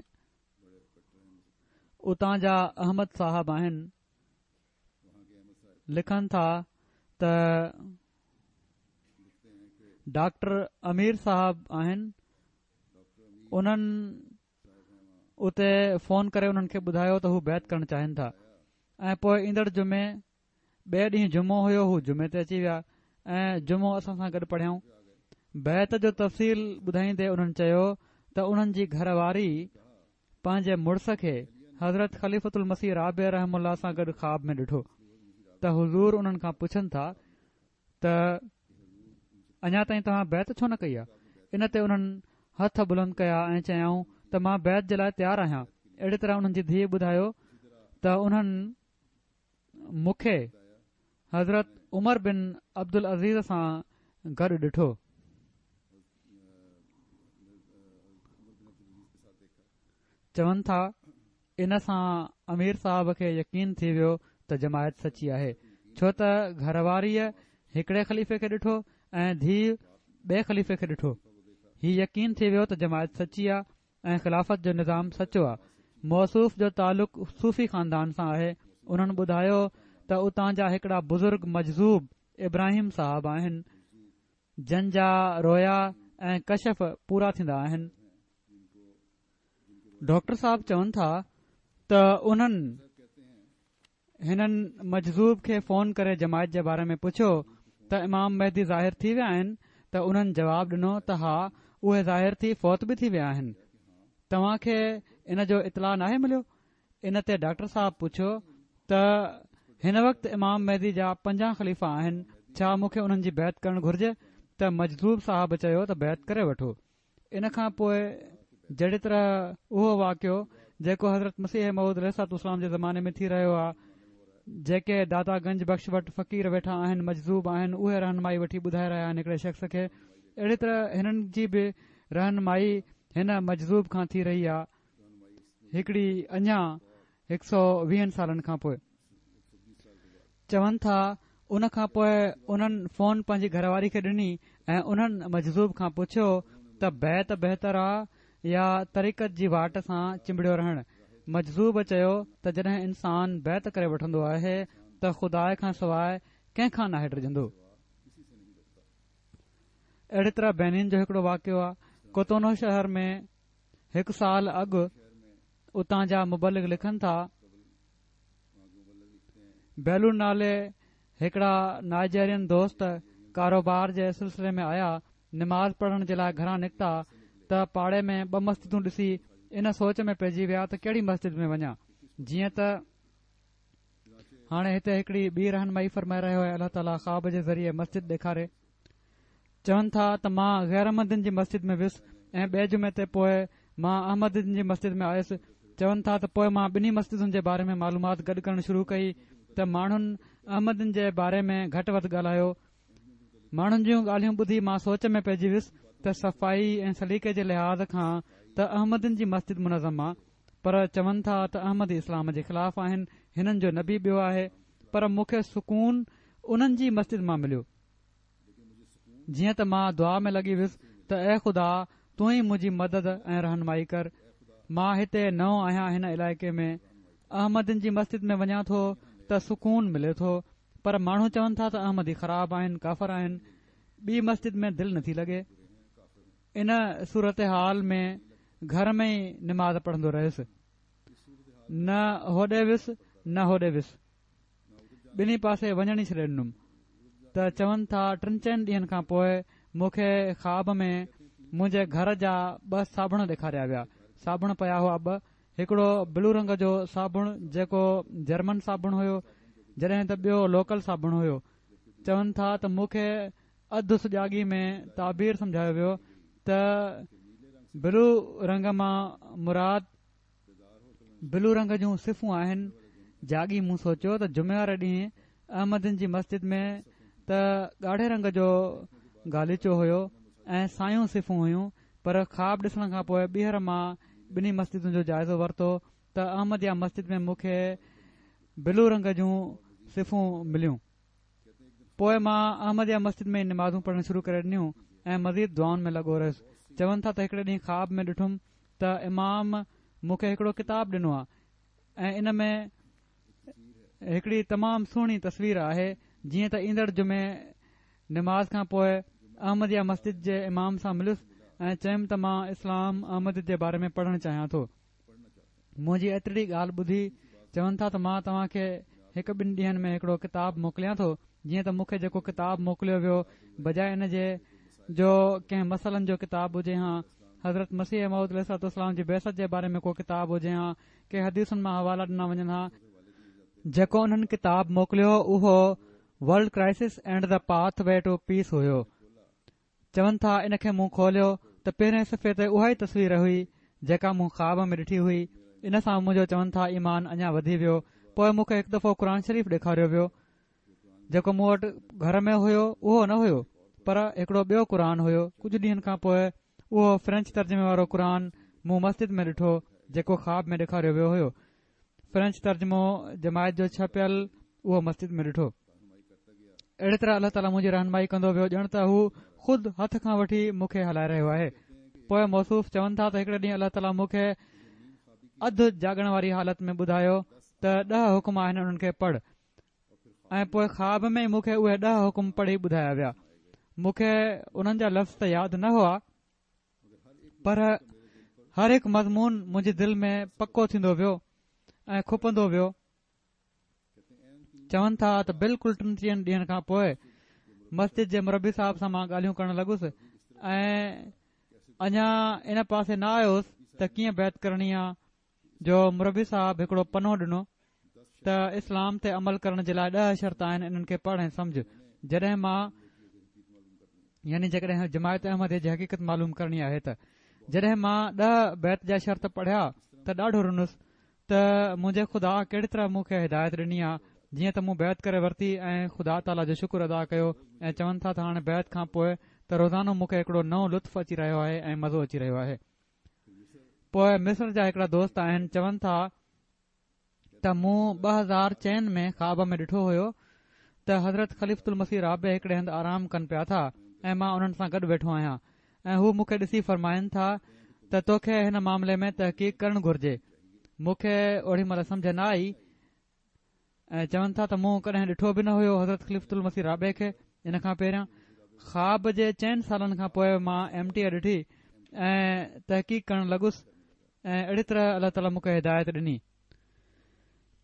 اتان جا احمد صاحب آهن لکن ٿا ته ڊاڪٽر امير صاحب آهن انهن اتي فون ڪري انهن کي ٻڌايو ته هو بيعت ڪرڻ چاهين ٿا ۽ پوء ايندڙ جمعي ٻئي ڏينهن جمعو هيو هو جمعي تي اچي ويا ۽ جمعو اسان سان گڏ پڙهيائون بيعت جو تفصيل ٻڌائيندي انهن چيو ته انهن جي گهر واري پنهنجي مڙس کي حضرت خليفة المسيح رابع رحمه الله سان گڏ خواب ۾ ڏٺو ته حضور انهن کان پڇن ٿا ته اڃا تائين توهان بيعت ڇو نه ڪئي آهي؟ ان تي انهن هٿ بلند ڪيا ۽ چيائون ته مان بيعت جي لاء تيار آهيان. اهڙي طرح انهن جي ڌيء ٻڌايو ته انهن مون کي حضرت عمر بن عبدالعزيز سان گڏ ڏٺو. چون ٿا ان سان امير صاحب کي يقين ٿي ويو ته جماعت سچي آهي ڇو ته گهر واريء هڪڙي خليفي کي ڏٺو ۽ ڌيء ٻئي خليفي کي ڏٺو. هي يقين ٿي ويو ته جماعت سچي آ ۽ خلافت جو نظام سچو آ. موصوف جو تعلق صوفي خاندان سان آهي. انهن ٻڌايو ته اتان جا هڪڙا بزرگ مجذوب ابراهيم صاحب آهن جن جا رويا ۽ ڪشف پورا ٿيندا آهن. ڊاڪٽر صاحب چون ٿا ته انهن هنن مجذوب کي فون ڪري جماعت جي باري ۾ پڇيو ته امام مهدي ظاهر ٿي ويا آهن ته انهن جواب ڏنو ته ها اهي ظاهر ٿي فوت به ٿي ويا آهن توهان کي ان جو اطلاع ناهي مليو ان تي ڊاڪٽر صاحب پڇيو ته هن وقت امام مهدي جا پنجان خليفا آهن ڇا مون کي انهن جي بيعت ڪرڻ گهرجي ته مجذوب صاحب چيو ته بيعت ڪري وٺو ان کان پوء جهڙي طرح اهو واقعو جيڪو حضرت مسيح موعود عليه الصلوة والسلام جي زماني ۾ ٿي رهيو آهي جيڪي داتا گنج بخش وٽ فقير ويٺا آهن مجذوب آهن اهي رهنمائي وٺي ٻڌائي رهيا آهن هڪڙي شخص کي اهڙي طرح هنن جي به رهنمائي هن مجذوب کان ٿي رهي آهي هڪڙي اڃا هڪ سو ويهن سالن کان پوء. چون ٿا ان کان پوء انهن فون پنهنجي گهر واري کي ڏني ۽ انهن مجذوب کان پڇيو ته بيعت بهتر آ يا طريقت جي واٽ سان چنبڙيو رهڻ؟ مجذوب چيو ته جڏهن انسان بيعت ڪري وٺندو آهي ته خدا کان سواء ڪنهن کان ناهي ڊڄندو. اهڙي طرح بينين جو هڪڙو واقعو آ ڪوتونو شهر ۾ هڪ سال اڳ اتان جا مبلغ لکن ٿا، بيلو نالي هڪڙا نائجيرين دوست ڪاروبار جي سلسلي ۾ آيا، نماز پڙهڻ جي لاء گهران نڪتا ته پاڙي ۾ ٻه مسجدون ڏسي ان سوچ ۾ پئجي ويا ته ڪهڙي مسجد ۾ وڃان جيئن ته هاڻي هتي هڪڙي ٻي رهنمائي فرمائي رهيو آهي الله تعالي خواب جي ذريعي مسجد ڏيکاري. چون ٿا ته مان غير احمدين جي مسجد ۾ ويس ۽ ٻئي جمعي تي پوء مان احمدين جي مسجد ۾ آيس. چون ٿا ته پوء مان ٻنهي مسجدن جي باري ۾ معلومات گڏ ڪرڻ شروع ڪئي ته ماڻهن احمدين جي باري ۾ گهٽ وڌ ڳالهايو. ماڻهن جون ڳالهيون ٻڌي مان سوچ ۾ پئجي ويس ته صفائي ۽ سليقي جي لحاظ کان ته احمدين جي مسجد منظم آ پر چون ٿا ته احمدي اسلام جي خلاف آهن هنن جو نبي ٻيو آهي پر مون کي سڪون انهن جي مسجد مان مليو. جيئن ته مان دعا ۾ لڳي ويس ته اي خدا تون ئي منهنجي مدد ۽ رهنمائي ڪر. مان هتي نئون آهيان هن علائقي ۾. احمدين جي مسجد ۾ وڃان ٿو ته سڪون ملي ٿو پر ماڻهو چون ٿا ته احمدي خراب آهن ڪافر آهن. ٻي مسجد ۾ دل نٿي لڳي. ان صورتحال ۾ گهر ۾ ئي نماز پڙهندو رهيس. نه هوڏي ويس نه هوڏي ويس. ٻنهي پاسي وڃڻ ئي ڇڏي ڏنم ته چون ٿا ٽن چئن ڏينهن کان پوء مون کي خواب ۾ منهنجي گهر جا ٻه صابڻ ڏيکاريا ويا صابڻ پيا هئا ٻه هڪڙو بلو رنگ جو صابڻ جيڪو جرمن صابڻ هيو جڏهن ته ٻيو لوڪل صابڻ هيو چون ٿا ته مون کي اڌ سجاڳي ۾ تعبير سمجهايو ويو ته بلو رنگ مان مراد بلو رنگ جون صفون آهن. جاڳي مون سوچيو ته جمعي واري ڏينهن احمدين جي مسجد ۾ ته ڳاڙهي رنگ جو غاليچو هيو ۽ سايون صفون هيون پر خواب ڏسڻ کان پوء ٻيهر مان ٻنهي مسجدن جو جائزو ورتو ته احمديه مسجد ۾ مون کي بلو رنگ جون صفون مليون. پوء مان احمديه مسجد ۾ ئي نمازون پڙهڻ شروع ڪري ڏنيون ۽ مزيد دعائن ۾ لڳو رهيس. چون ٿا ته هڪڙي ڏينهن خواب ۾ ڏٺم ته امام مون کي هڪڙو ڪتاب ڏنو آهي ۽ ان ۾ هڪڙي تمام سهڻي تصوير آهي جيئن ته ايندڙ جمعي نماز کان پوء احمديه مسجد جي امام سان مليس ۽ چيم ته مان اسلام احمديت جي باري ۾ پڙهڻ چاهيان ٿو. منهنجي ايترڙي ڳالهه ٻڌي چون ٿا ته مان توهان کي هڪ ٻن ڏينهن ۾ هڪڙو ڪتاب موڪليان ٿو جيئن ته مون کي جيڪو ڪتاب موڪليو ويو بجاء ان جي جو ڪنهن مسئلن جو ڪتاب هجي هان حضرت مسيح موعود عليه الصلوة والسلام جي بعثت جي باري ۾ ڪو ڪتاب هجي هان ڪي حديثن مان حوالا ڏنا وڃن ها جيڪو انهن ڪتاب موڪليو اهو World Crisis and the Pathway to Peace هيو چون ٿا ان کي مون کوليو ته پهرئين صفحي تي اها ئي تصوير هئي جيڪا مون خواب ۾ ڏٺي هئي ان سان منهنجو چون ٿا ايمان اڃا وڌي ويو پوء مون کي هڪ دفعو قرآن شريف ڏيکاريو ويو جيڪو مون وٽ گهر ۾ هيو اهو نه هيو پر هڪڙو ٻيو قرآن هيو ڪجهه ڏينهن کان پوء اهو فرينچ ترجمي وارو قرآن مون مسجد ۾ ڏٺو جيڪو خواب ۾ ڏيکاريو ويو هيو فرينچ ترجمو جماعت جو ڇپيل اهو مسجد ۾ ڏٺو. اهڙي طرح الله تعاليٰ منهنجي رهنمائي ڪندو ويو ڄڻ ته هو خود هٿ کان وٺي مون کي هلائي رهيو آهي. پوء موصوف چون ٿا ته هڪڙي ڏينهن الله تعاليٰ مون کي اڌ جاڳڻ واري حالت ۾ ٻڌايو ته ڏهه حڪم آهن انهن کي پڙهه. ۽ پوء خواب ۾ ئي مون کي اهي ڏهه حڪم پڙهي ٻڌايا ويا. مون کي انهن جا لفظ ته ياد نه هئا پر هر هڪ مضمون منهنجي دل ۾ پڪو ٿيندو ويو ۽ کپندو ويو. چون ٿا ته بلڪل ٽن چئن ڏينهن کان پوء مسجد جي مربي صاحب سان مان ڳالهيون ڪرڻ لڳس ۽ اڃا ان پاسي نه آيو هوس ته ڪيئن بيعت ڪرڻي آ جو مربي صاحب هڪڙو پنو ڏنو ته اسلام تي عمل ڪرڻ جي لاء ڏهه شرط آهن انهن کي پڙهه ۽ سمجهه جڏهن مان يعني جيڪڏهن جماعت احمديه جي حقيقت معلوم ڪرڻي آهي ته جڏهن مان ڏهه بيعت جا شرط پڙهيا ته ڏاڍو رنس ته منهنجي خدا ڪهڙي طرح مون کي هدايت ڏني آ جيئن ته مون بيعت ڪري ورتي ۽ خدا تعاليٰ جو شڪر ادا ڪيو ۽ چون ٿا ته هاڻي بيعت کان پوء ته روزانو مون کي هڪڙو نئون لطف اچي رهيو آهي ۽ مزو اچي رهيو آهي. پوء مصر جا هڪڙا دوست آهن چون ٿا ته مون 2004 ۾ خواب ۾ ڏٺو هيو ته حضرت خليفة المسيح رابع هڪڙي هنڌ آرام ڪن پيا ٿا ۽ مان انهن سان گڏ ويٺو آهيان ۽ هو مون کي ڏسي فرمائن ٿا ته توکي هن معاملي ۾ تحقيق ڪرڻ گهرجي مون کي اوڏي مهل سمجهه نه آئي ۽ چون ٿا ته مون ڪڏهن ڏٺو به نه هيو حضرت خليفة المسيح رابع کي ان کان پهريان خواب جي چئن سالن کان پوء مان ايم ٽي اي ڏٺي ۽ تحقيق ڪرڻ لڳس ۽ اهڙي طرح الله تعاليٰ مون کي هدايت ڏني.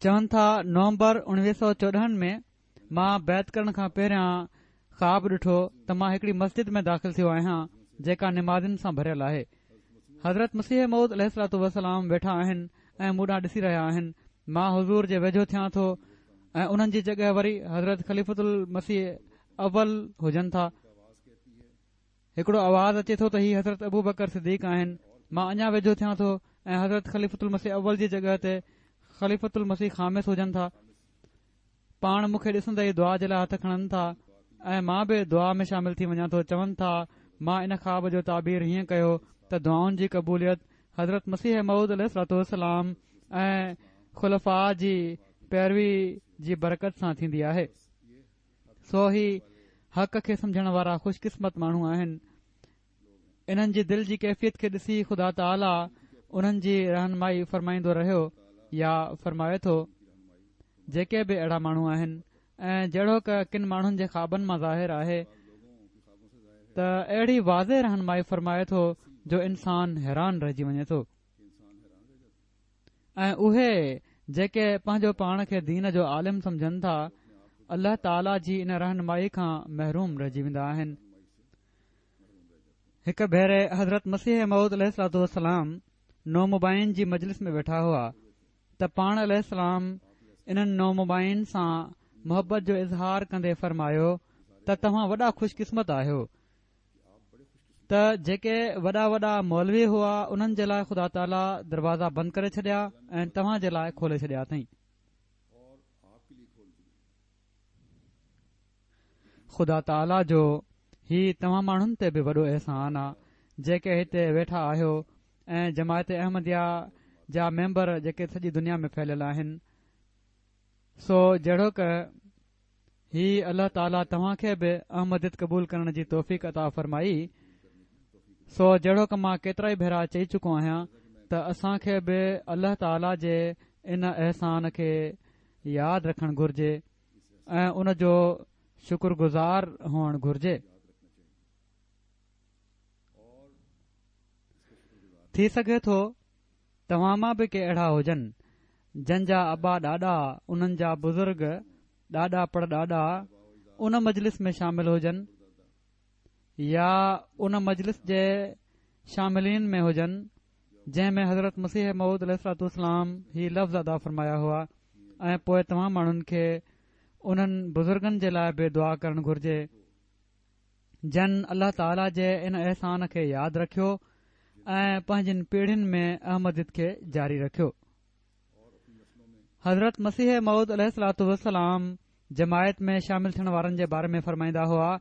چون ٿا نومبر 1914 ۾ مان بيعت ڪرڻ کان پهريان خواب ڏٺو ته مان هڪڙي مسجد ۾ داخل ٿيو آهيان جيڪا نمازين سان ڀريل آهي. حضرت مسيح موعود عليه الصلوة والسلام ويٺا آهن ۽ مون ڏانهن ڏسي رهيا آهن. مان حضور جي ويجهو ٿيان ٿو ۽ انهن جي جڳهه وري حضرت خليفة المسيح اول هجن ٿا. هڪڙو آواز اچي ٿو ته هي حضرت ابوبڪر صديق آهن. مان اڃا ويجهو ٿيان ٿو ۽ حضرت خليفة المسيح اول جي جڳهه تي خليفة المسيح خامس هجن ٿا. پاڻ مون کي ڏسندي ئي دعا جي لاء هٿ کڻن ٿا ۽ مان به دعا ۾ شامل ٿي وڃان ٿو چون ٿا مان ان خواب جو تعبير هيئن ڪيو ته دعائن جي قبوليت حضرت مسيح موعود عليه الصلوة والسلام ۽ خلفاء جي پيروي جي برڪت سان ٿيندي آهي سو هي حق کي سمجهڻ وارا خوش قسمت ماڻهو آهن انهن جي دل جي ڪيفيت کي ڏسي خدا تعاليٰ انهن جي رهنمائي فرمائيندو رهيو يا فرمائي ٿو جيڪي به اهڙا ماڻهو آهن ۽ جهڙوڪ ڪن ماڻهن جي خوابن مان ظاهر آهي ته اهڙي واضح رهنمائي فرمائي ٿو جو انسان حيران رهجي وڃي ٿو ۽ اهي جيڪي پنهنجو پاڻ کي دين جو عالم سمجهن ٿا الله تعاليٰ جي ان رهنمائي کان محروم رهجي ويندا آهن هڪ ڀيري حضرت مسيح موعود عليه الصلوة والسلام نومبائعين جي مجلس ۾ ويٺا هئا ته پاڻ عليه السلام انهن نومبائعين سان محبت جو اظهار ڪندي فرمايو ته توهان وڏا خوش قسمت آهيو ته جيڪي وڏا وڏا مولوي هئا انهن جي لاء خدا تعاليٰ دروازا بند ڪري ڇڏيا ۽ توهان جي لاء کولي ڇڏيا اٿئي. خدا تعاليٰ جو هي توهان ماڻهن تي به وڏو احسان آ جيڪي هتي ويٺا آهيو ۽ جماعت احمديه جا ميمبر جيڪي سڄي دنيا ۾ ڦهليل آهن سو جهڙوڪ هي الله تعاليٰ توهان کي به احمديت قبول ڪرڻ جي توفيق عطا فرمائي سو جهڙوڪ مان ڪيترائي ڀيرا چئي چڪو آهيان ته اسان کي به الله تعاليٰ جي ان احسان کي ياد رکڻ گهرجي ۽ ان جو شڪر گذار هئڻ گهرجي. ٿي سگهي ٿو توهان مان به ڪي اهڙا هجن جن جا ابا ڏاڏا انهن جا بزرگ ڏاڏا پڙ ڏاڏا ان مجلس ۾ شامل هجن يا ان مجلس جي شاملين ۾ هجن جنهن ۾ حضرت مسيح موعود عليه الصلوة والسلام هي لفظ ادا فرمايا هئا ۽ پوء توهان ماڻهن کي انهن بزرگن جي لاء به دعا ڪرڻ گهرجي جن الله تعاليٰ جي ان احسان کي ياد رکيو ۽ پنهنجين پيڙهين ۾ احمديت کي جاري رکيو. حضرت مسيح موعود عليه الصلوة والسلام جماعت ۾ شامل ٿيڻ وارن جي باري ۾ فرمائيندا هئا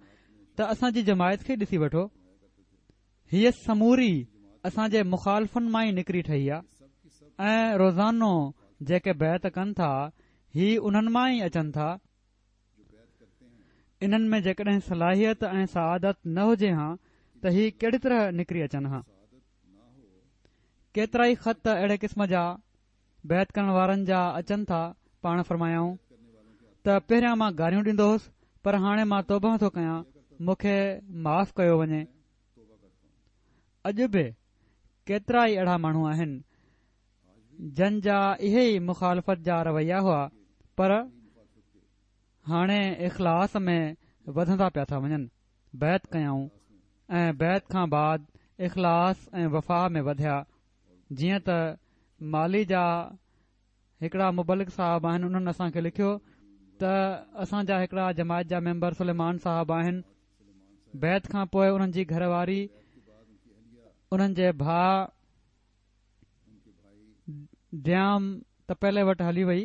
ته اسان جي جماعت کي ڏسي وٺو هيء سموري اسان جي مخالفن مان ئي نڪري ٺهي آ ۽ روزانو جيڪي بيعت ڪن ٿا هي انهن مان ئي اچن ٿا. انهن ۾ جيڪڏهن صلاحيت ۽ سعادت نه هجي هان ته هي ڪهڙي طرح نڪري اچن هان. ڪيترائي خط اهڙي قسم جا بيعت ڪرڻ وارن جا اچن ٿا، پاڻ فرمايائون ته پهريان مان گاريون ڏيندو هوس پر هاڻي مان توبهه ٿو ڪيان مون کي معاف ڪيو وڃي. اڄ به ڪيترا ئي اهڙا ماڻهو آهن جن جا اهي ئي مخالفت جا رويا هئا پر هاڻي اخلاص ۾ وڌندا پيا ٿا وڃن. بيعت ڪيائون ۽ بيعت کان بعد اخلاص ۽ وفا ۾ وڌيا جيئن ته مالي جا هڪڙا مبلغ صاحب آهن انهن اسان کي لکيو ته اسان جا هڪڙا جماعت جا ميمبر سليمان صاحب آهن بيعت کان پوء انهن جي گهر واري انهن جي ڀاء ديام تپيلي وٽ هلي وئي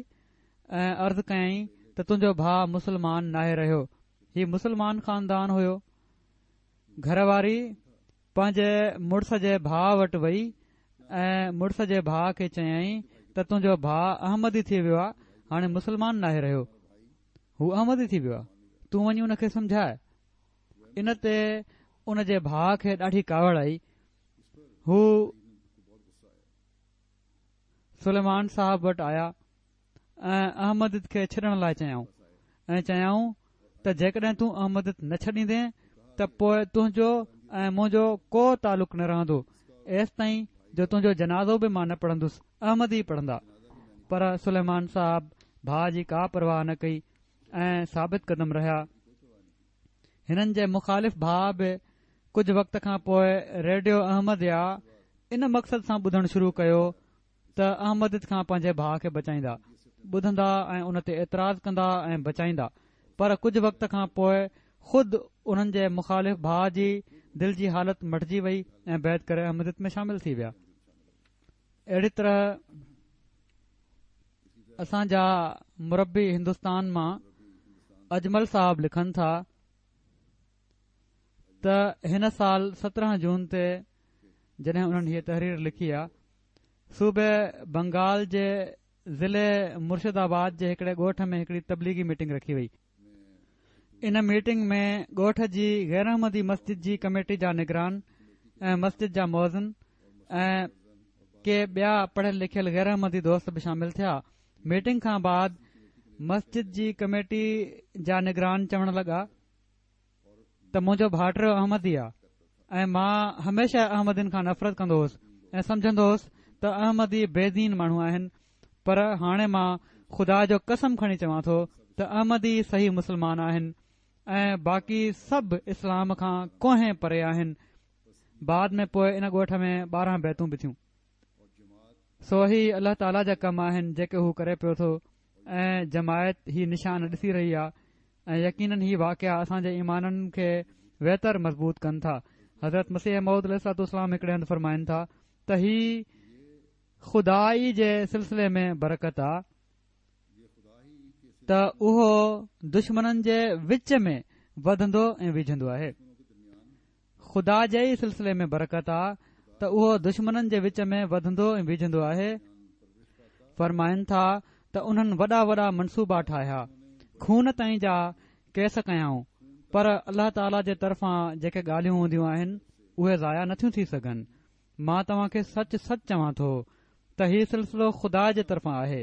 ۽ عرض ڪيائين ته تنهنجو ڀاء مسلمان ناهي رهيو هي مسلمان خاندان هيو گهر واري پنهنجي مڙس جي ڀاء وٽ وئي ۽ مڙس جي ڀاء کي چيائين ته تنهنجو ڀاء احمدي ٿي ويو آهي هاڻي مسلمان ناهي رهيو هو احمدي ٿي ويو آهي تون وڃي ان کي سمجهاء ان تي ان جي ڀاء کي ڏاڍي ڪاوڙ آئي هو سليمان صاحب وٽ آيا ۽ احمديت کي ڇڏڻ لاء چيائون ۽ چيائون ته جيڪڏهن تون احمديت نه ڇڏيندين ته پوء تنهنجو ۽ منهنجو ڪو تعلق نه رهندو ايستائين جو تنهنجو جنازو به مان نه پڙهندس احمدي پڙهندا پر سليمان صاحب ڀاء جي ڪا پرواهه نه ڪئي ۽ ثابت قدم رهيا هنن جي مخالف ڀاء به ڪجهه وقت کان پوء ريڊيو احمديا ان مقصد سان ٻڌڻ شروع ڪيو ته احمديت کان پنهنجي ڀاء کي بچائيندا، ٻڌندا ۽ ان تي اعتراض ڪندا ۽ بچائيندا پر ڪجهه وقت کان پوء خود انهن جي مخالف ڀاء جي دل جي حالت مٽجي وئي ۽ بيعت ڪري احمديت ۾ شامل ٿي ويا. اهڙي طرح اسان جا مربي هندستان مان اجمل صاحب لکن ٿا ته هن سال 17 جون تي جڏهن انهن هيء تحرير لکي آ صوبي بنگال جي ضلعي مرشد آباد جي هڪڙي ڳوٺ ۾ هڪڙي تبليغي ميٽنگ رکي وئي. ان ميٽنگ ۾ ڳوٺ جي غيراحمدي مسجد جي ڪميٽي جا نگران ۽ مسجد جا مؤذن ۽ ڪي ٻيا پڙهيل لکيل غيراحمدي دوست به شامل ٿيا. ميٽنگ کان بعد مسجد جي ڪميٽي جا نگران چوڻ لڳا ته منهنجو ڀائٽيو احمدي آ ۽ مان هميشه احمدين کان نفرت ڪندو هوس ۽ سمجهندو هوس ته احمدي بي دين ماڻهو آهن پر هاڻي مان خدا جو قسم کڻي چوان ٿو ته احمدي صحيح مسلمان آهن ۽ باقي سڀ اسلام کان ڪوهين پري آهن بعد ۾ پوء ان ڳوٺ ۾ 12 بيعتون به ٿيون سو هي الله تعاليٰ جا ڪم آهن جيڪي هو ڪري پيو ٿو ۽ جماعت هي نشان ڏسي رهي آ ۽ يقينن هي واقعا اسان جي ايمانن کي ويتر مضبوط ڪن ٿا. حضرت مسيح موعود عليه الصلوة والسلام هڪڙي هنڌ فرمائن ٿا ته هي خدا ئي جي سلسلي ۾ برڪت آ ته اهو دشمنن جي وچ ۾ وڌندو ۽ ويجهندو آهي. خدا جي ئي سلسلي ۾ برڪت آ ته اهو دشمنن جي وچ ۾ وڌندو ۽ ويجهندو آهي. فرمائن ٿا ته انهن وڏا وڏا منصوبا ٺاهيا، خون تائين جا ڪيس ڪيائون، پر الله تعاليٰ جي طرفان جيڪي ڳالهيون هونديون آهن، اهي ضايع نٿيون ٿي سگهن. مان توهان کي سچ سچ چوان ٿو ته هي سلسلو خدا جي طرفان آهي.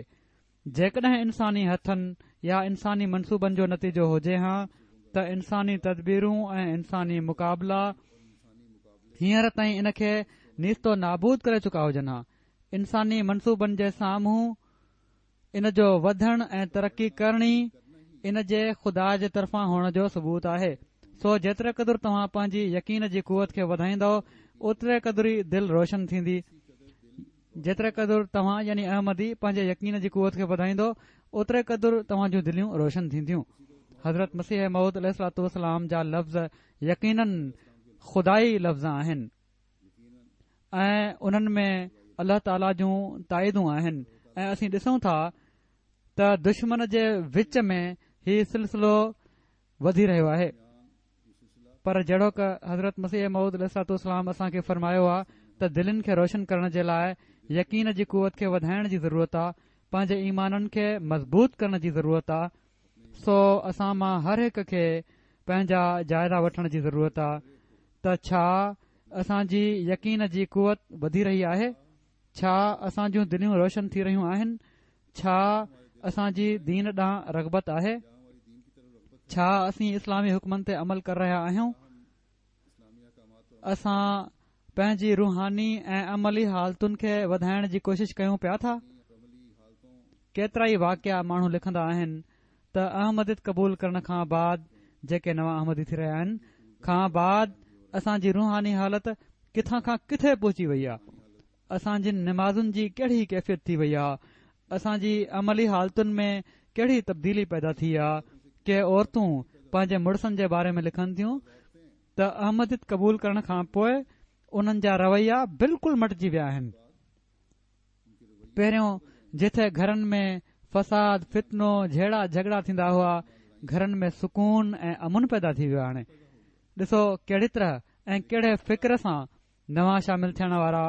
جيڪڏهن انساني هٿن يا انساني منصوبن جو نتيجو هجي هان ته انساني تدبيرون ۽ انساني مقابلا هينئر تائين ان کي نيست و نابود ڪري چڪا هجن ها. انساني منصوبن جي سامهون ان جو وڌڻ ۽ ترقي ڪرڻ ئي ان جي خدا جي طرفان هئڻ جو ثبوت آهي. سو جيتري قدر توهان پنهنجي يقين جي قوت کي وڌائيندؤ اوتري قدر ئي دل روشن ٿيندي. جيتري قدر توهان يعني احمدي پنهنجي يقين جي قوت کي وڌائيندؤ اوتري قدر توهان جون دليون روشن ٿينديون. حضرت مسيح موعود عليه الصلوة والسلام جا لفظ يقيناً خدائي لفظ آهن ۽ انهن ۾ الله تعاليٰ جون تائيدون آهن ۽ اسين ڏسون ٿا ته دشمن جي وچ ۾ هي سلسلو وڌي رهيو آهي. پر جهڙوڪ حضرت مسيح موعود عليه الصلوة والسلام اسان کي فرمايو آ ته دلين کي روشن ڪرڻ جي لاء يقين جي قوت کي وڌائڻ جي ضرورت آ، پنهنجي ايمانن کي مضبوط ڪرڻ جي ضرورت آ، سو اسان مان هر هڪ کي پنهنجا جائزا وٺڻ جي ضرورت آ ته ڇا اسان جي يقين جي قوت وڌي رهي آهي؟ ڇا اسان جون دليون روشن ٿي رهيون آهن؟ ڇا اسان جي دين ڏانهن رغبت آهي؟ ڇا اسين اسلامي حڪمن تي عمل ڪري رهيا آهيون؟ اسان پنهنجي روحاني ۽ عملي حالتن کي وڌائڻ جي ڪوشش ڪيون پيا ٿا؟ ڪيترائي واقعا ماڻهو لکندا آهن ته احمديت قبول ڪرڻ کان بعد جيڪي نوان احمدي ٿي رهيا آهن کان بعد اسان جي روحاني حالت ڪٿان کان ڪٿي پهچي وئي آهي اسان جي نمازن جي ڪهڙي ڪيفيت ٿي وئي آ، اسان جي عملي حالتن ۾ ڪهڙي تبديلي پيدا ٿي آ، ڪي عورتون پنهنجي مڙسن جي باري ۾ لکن ٿيون ته احمديت قبول ڪرڻ کان پوء انهن جا رويا بلڪل مٽجي ويا آهن. پهريون جٿي گهرن ۾ فساد، فتنو، جهيڙا جهڳڙا ٿيندا هئا، گهرن ۾ سڪون ۽ امن پيدا ٿي ويو آ هاڻي ڏسو ڪهڙي طرح ۽ ڪهڙي فڪر سان نوان شامل ٿيڻ وارا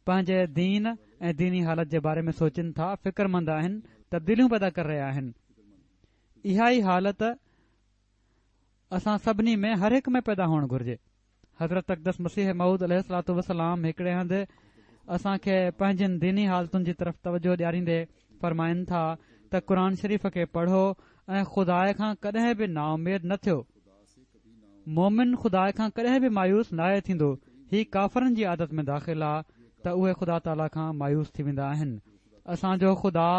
پنهنجي دين ۽ ديني حالت جي باري ۾ سوچين ٿا، فڪرمند آهن، تبديليون پيدا ڪري رهيا آهن. اها ئي حالت اسان سڀني ۾ هر هڪ ۾ پيدا هئڻ گهرجي. حضرت اقدس مسيح موعود عليه الصلوة والسلام هڪڙي هنڌ اسان کي پنهنجين ديني حالتن جي طرف توجهه ڏياريندي فرمائن ٿا ته قرآن شريف کي پڙهو ۽ خدا کان ڪڏهن به نااميد نه ٿيو. مؤمن خدا کان ڪڏهن به مايوس ناهي ٿيندو، هي ڪافرن جي عادت ۾ داخل آ ته اهي خدا تعاليٰ کان مايوس ٿي ويندا آهن. اسان جو خدا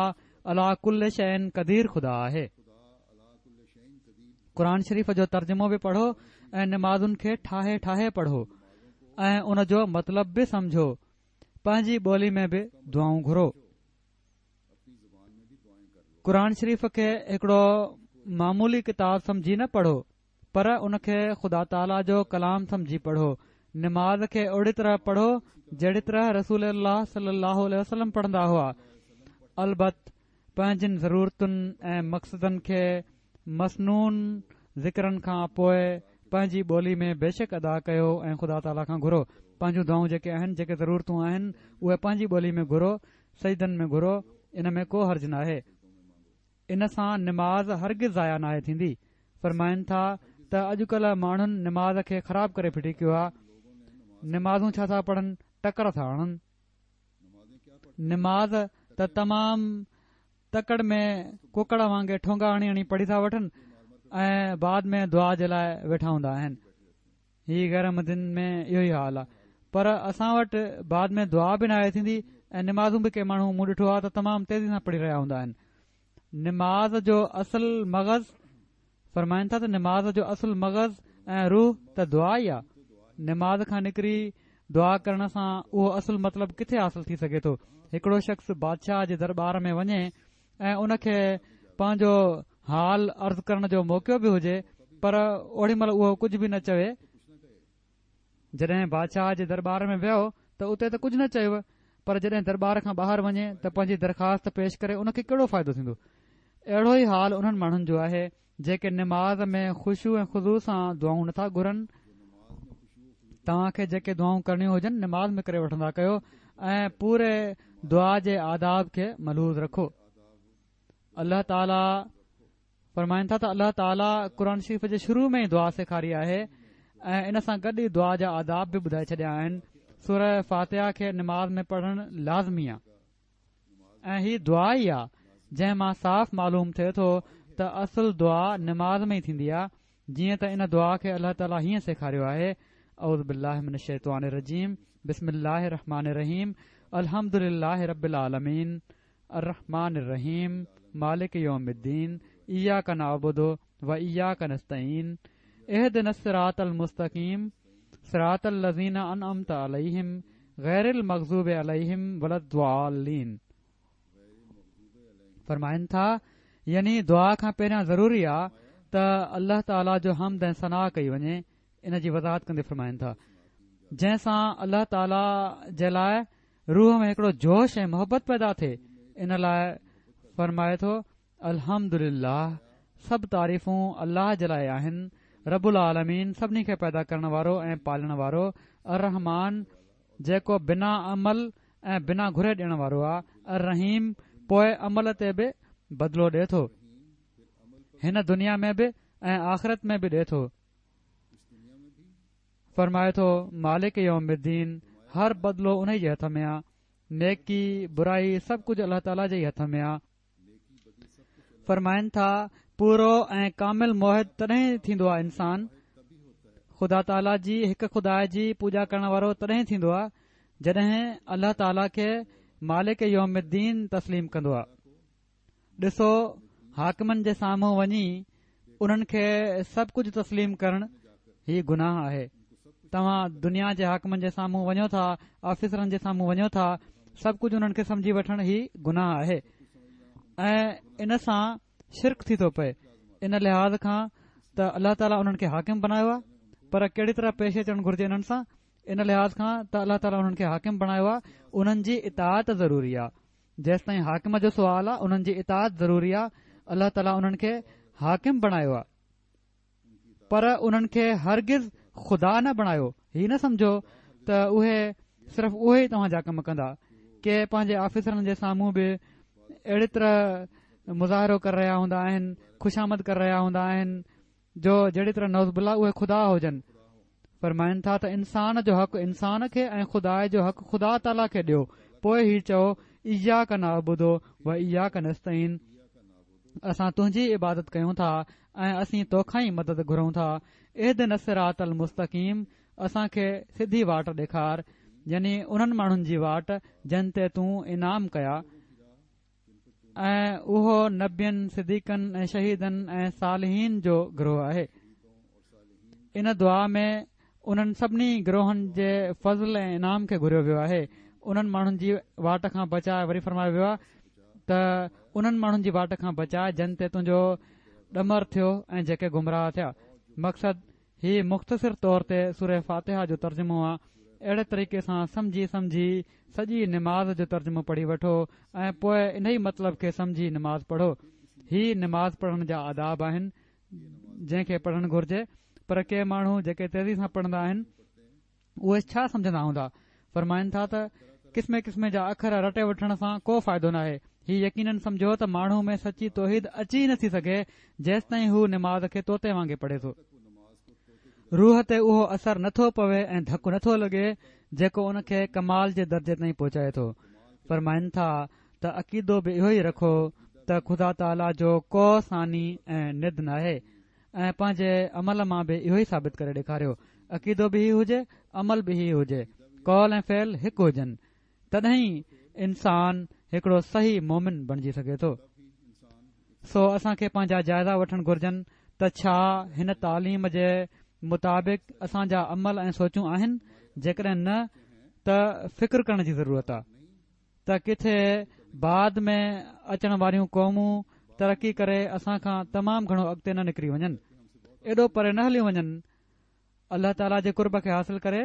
عليٰ ڪل شيء قدير خدا آهي. قرآن شريف جو ترجمو به پڙهو ۽ نمازن کي ٺاهي ٺاهي پڙهو ۽ ان جو مطلب به سمجهو. پنهنجي ٻولي ۾ به دعائون گهرو. قرآن شريف کي هڪڙو معمولي ڪتاب سمجهي نه پڙهو پر ان کي خدا تعاليٰ جو ڪلام سمجهي پڙهو نماز کي اهڙي طرح پڙهو جهڙي طرح رسول الله صلي الله عليه وسلم پڙهندا هئا البت پنهنجين ضرورتن ۽ مقصدن کي مسنون ذڪرن کان پوء پنهنجي ٻولي ۾ بيشڪ ادا ڪيو ۽ خدا تعاليٰ کان گهرو پنهنجون دعائون جيڪي آهن جيڪي ضرورتون آهن اهي پنهنجي ٻولي ۾ گهرو سجدن ۾ گهرو ان ۾ ڪو حرج ناهي ان سان نماز هرگز ضايع ناهي ٿيندي فرمائن ٿا ته اڄڪلهه ماڻهن نماز کي خراب ڪري ڦٽي ڪيو آهي نمازون ڇا ٿا پڙهن ٽڪر ٿا هڻن نماز ته تمام تڪڙ ۾ ڪڪڙ وانگي ٺونگا هڻي هڻي پڙهي ٿا وٺن ۽ بعد ۾ دعا جي لاء ويٺا هوندا آهن هي غير احمدين ۾ اهو ئي حال آهي پر اسان وٽ بعد ۾ دعا به ناهي ٿيندي ۽ نمازون به ڪي ماڻهو مون ڏٺو آهي ته تمام تيزي سان پڙهي رهيا هوندا آهن نماز جو اصل مغز فرمائن ٿا ته نماز جو اصل مغز ۽ روح ته دعا ئي آ. نماز کان نڪري دعا ڪرڻ سان اهو اصل مطلب ڪٿي حاصل ٿي سگهي ٿو. هڪڙو شخص بادشاهه جي درٻار ۾ وڃي ۽ ان کي پنهنجو حال عرض ڪرڻ جو موقعو به هجي پر اوڏي مهل اهو ڪجهه به نه چوي جڏهن بادشاهه جي درٻار ۾ ويو ته اتي ته ڪجهه نه چيو پر جڏهن درٻار کان ٻاهر وڃي ته پنهنجي درخواست پيش ڪري ان کي ڪهڙو فائدو ٿيندو؟ اهڙو ئي حال انهن ماڻهن جو آهي جيڪي نماز ۾ خشوع ۽ خضوع سان دعائون نٿا گهرن. توهان کي جيڪي دعائون ڪرڻيون هجن نماز ۾ ڪري وٺندا ڪيو ۽ پوري دعا جي آداب کي ملحوظ رکو. الله تعالي فرمائن ٿا ته الله تعاليٰ قرآن شريف جي شروع ۾ ئي دعا سيکاري آهي ۽ ان سان گڏ ئي دعا جا آداب به ٻڌائي ڇڏيا آهن سوره فاتحه کي نماز ۾ پڙهڻ لازمي آهي ۽ هي دعا ئي آهي جنهن مان صاف معلوم ٿئي ٿو ته اصل دعا نماز ۾ ئي ٿيندي آهي جيئن ته ان دعا کي الله تعاليٰ هيئن سيکاريو آهي اعوذ بالله من الشيطان الرجيم بسم الله الرحمن الرحيم الحمد لله رب العالمين الرحمٰن الرحيم مالڪ يوم الدين اياڪ نعبد و اياڪ نستعين اهدنا الصراط المستقيم صراط الذين انعمت عليهم غير المغضوب عليهم ولا الضالين فرمائن ٿا يعني دعا کان پهريان ضروري آ ته الله تعالي جو حمد ۽ ثنا ڪئي وڃي ان جي وضاحت ڪندي فرمائن ٿا جنهن سان الله تعالي جي لاء روح ۾ هڪڙو جوش ۽ محبت پيدا ٿئي ان لاء فرمائي ٿو الحمد لله سڀ تعريفون الله جي لاء آهن رب العالمين سڀني کي پيدا ڪرڻ وارو ۽ پالڻ وارو الرحمان جيڪو بنا عمل ۽ بنا گهري ڏيڻ وارو آ الرحيم پوء عمل تي به بدلو ڏي ٿو هن دنيا ۾ به ۽ آخرت ۾ به ڏي ٿو فرمائي ٿو، مالڪ يوم الدين، هر بدلو انهي جي هٿ ۾ آ، نيڪي، برائي سڀ ڪجهه الله تعاليٰ جي ئي هٿ ۾ آ. فرمائن ٿا، پورو ۽ ڪامل موحد تڏهن ٿيندو آهي انسان، خدا تعاليٰ جي هڪ خدا جي پوڄا ڪرڻ وارو تڏهن ٿيندو آهي جڏهن الله تعاليٰ کي مالڪ يوم الدين تسليم ڪندو آهي. ڏسو حاڪمن جي سامهون وڃي انهن کي سڀ ڪجهه تسليم ڪرڻ هي گناهه آهي. توهان دنيا جي حاڪمن جي سامهون وڃو ٿا، آفيسرن جي سامهون وڃو ٿا، سڀ ڪجهه انهن کي سمجهي وٺڻ هي گناهه آهي ۽ ان سان شرڪ ٿي ٿو پئي ان لحاظ کان ته الله تعاليٰ انهن کي حاڪم بنايو آهي پر ڪهڙي طرح پيش اچڻ گهرجي انهن سان ان لحاظ کان ته الله تعاليٰ انهن کي حاڪم بڻايو آهي انهن جي اطاعت ضروري آهي جيستائين حاڪم جو سوال آهي انهن جي اطاعت ضروري آهي الله تعاليٰ انهن کي حاڪم بڻايو آهي پر انهن کي هرگز خدا نه بڻايو. هي نه سمجهو ته اهي صرف اهي ئي توهان جا ڪم ڪندا. ڪي پنهنجي آفيسرن جي سامهون به اهڙي طرح مظاهرو ڪري رهيا هوندا آهن، خوشامد ڪري رهيا هوندا آهن جو جهڙي طرح نعوذ بالله اهي خدا هجن. فرمائن ٿا ته انسان جو حق انسان کي ۽ خدا جو حق خدا تعاليٰ کي ڏيو پوء هي چئو اياڪ نعبد و اياڪ نستعين اسان تنهنجي عبادت ڪيون ٿا ۽ اسين توکان ئي مدد گهرون ٿا اهدنا الصراط المستقيم اسان کي سڌي واٽ ڏيکار يعني انهن ماڻهن جي واٽ جن تي تون انعام ڪيا ۽ اهو نبين صديقن ۽ شهيدن ۽ صالحين جو گروهه آهي ان دعا ۾ انهن سڀني گروهن جي فضل ۽ انعام کي گهريو ويو آهي. انهن ماڻهن جي واٽ کان بچاء وري فرمايو ويو آهي ته انهن ماڻهن جي واٽ کان بچاء جن تي تنهنجو ڏمر ٿيو ۽ جيڪي گمراهه ٿيا. مقصد، هي مختصر طور تي سوره فاتحه جو ترجمو آ. اهڙي طريقي سان سمجهي سمجهي سڄي نماز جو ترجمو پڙهي وٺو ۽ پوء انهي مطلب کي سمجهي نماز پڙهو. هي نماز پڙهڻ جا آداب آهن. جنهن کي پڙهڻ گهرجي پر ڪي ماڻهو جيڪي تيزي سان پڙهندا آهن اهي ڇا سمجهندا هوندا فرمائن ٿا ته قسمين قسمين جا اکر رٽي وٺڻ سان ڪو فائدو ناهي هي يقينن سمجهو ته ماڻهو ۾ سچي توحيد اچي ئي نٿي سگهي جيستائين هو نماز کي طوطي وانگي پڙهي ٿو روح تي اهو اثر نٿو پوي ۽ ڌڪ نٿو لڳي جيڪو ان کي ڪمال جي درجي تائين پهچائي ٿو فرمائن ٿا ته عقيدو به اهو ئي رکو ته خدا تعاليٰ جو ڪو ثاني ۽ ند ناهي ۽ پنهنجي عمل مان به اهو ئي ثابت ڪري ڏيکاريو. عقيدو به هي هجي، عمل به هي هجي، قول ۽ فعل هڪ هجن، تڏهن ئي انسان هڪڙو صحيح مومن بڻجي سگهي ٿو. سو اسان کي پنهنجا جائزا وٺڻ گهرجن ته ڇا هن تعليم جي مطابق اسان جا عمل ۽ سوچون آهن؟ جيڪڏهن نه ته فڪر ڪرڻ جي ضرورت آ. ته ڪٿي بعد ۾ اچڻ واريون قومون ترقي ڪري اسان کان تمام گهڻو اڳتي نه نڪري وڃن ايڏو پري نه هليون وڃن الله تعاليٰ جي قرب کي حاصل ڪري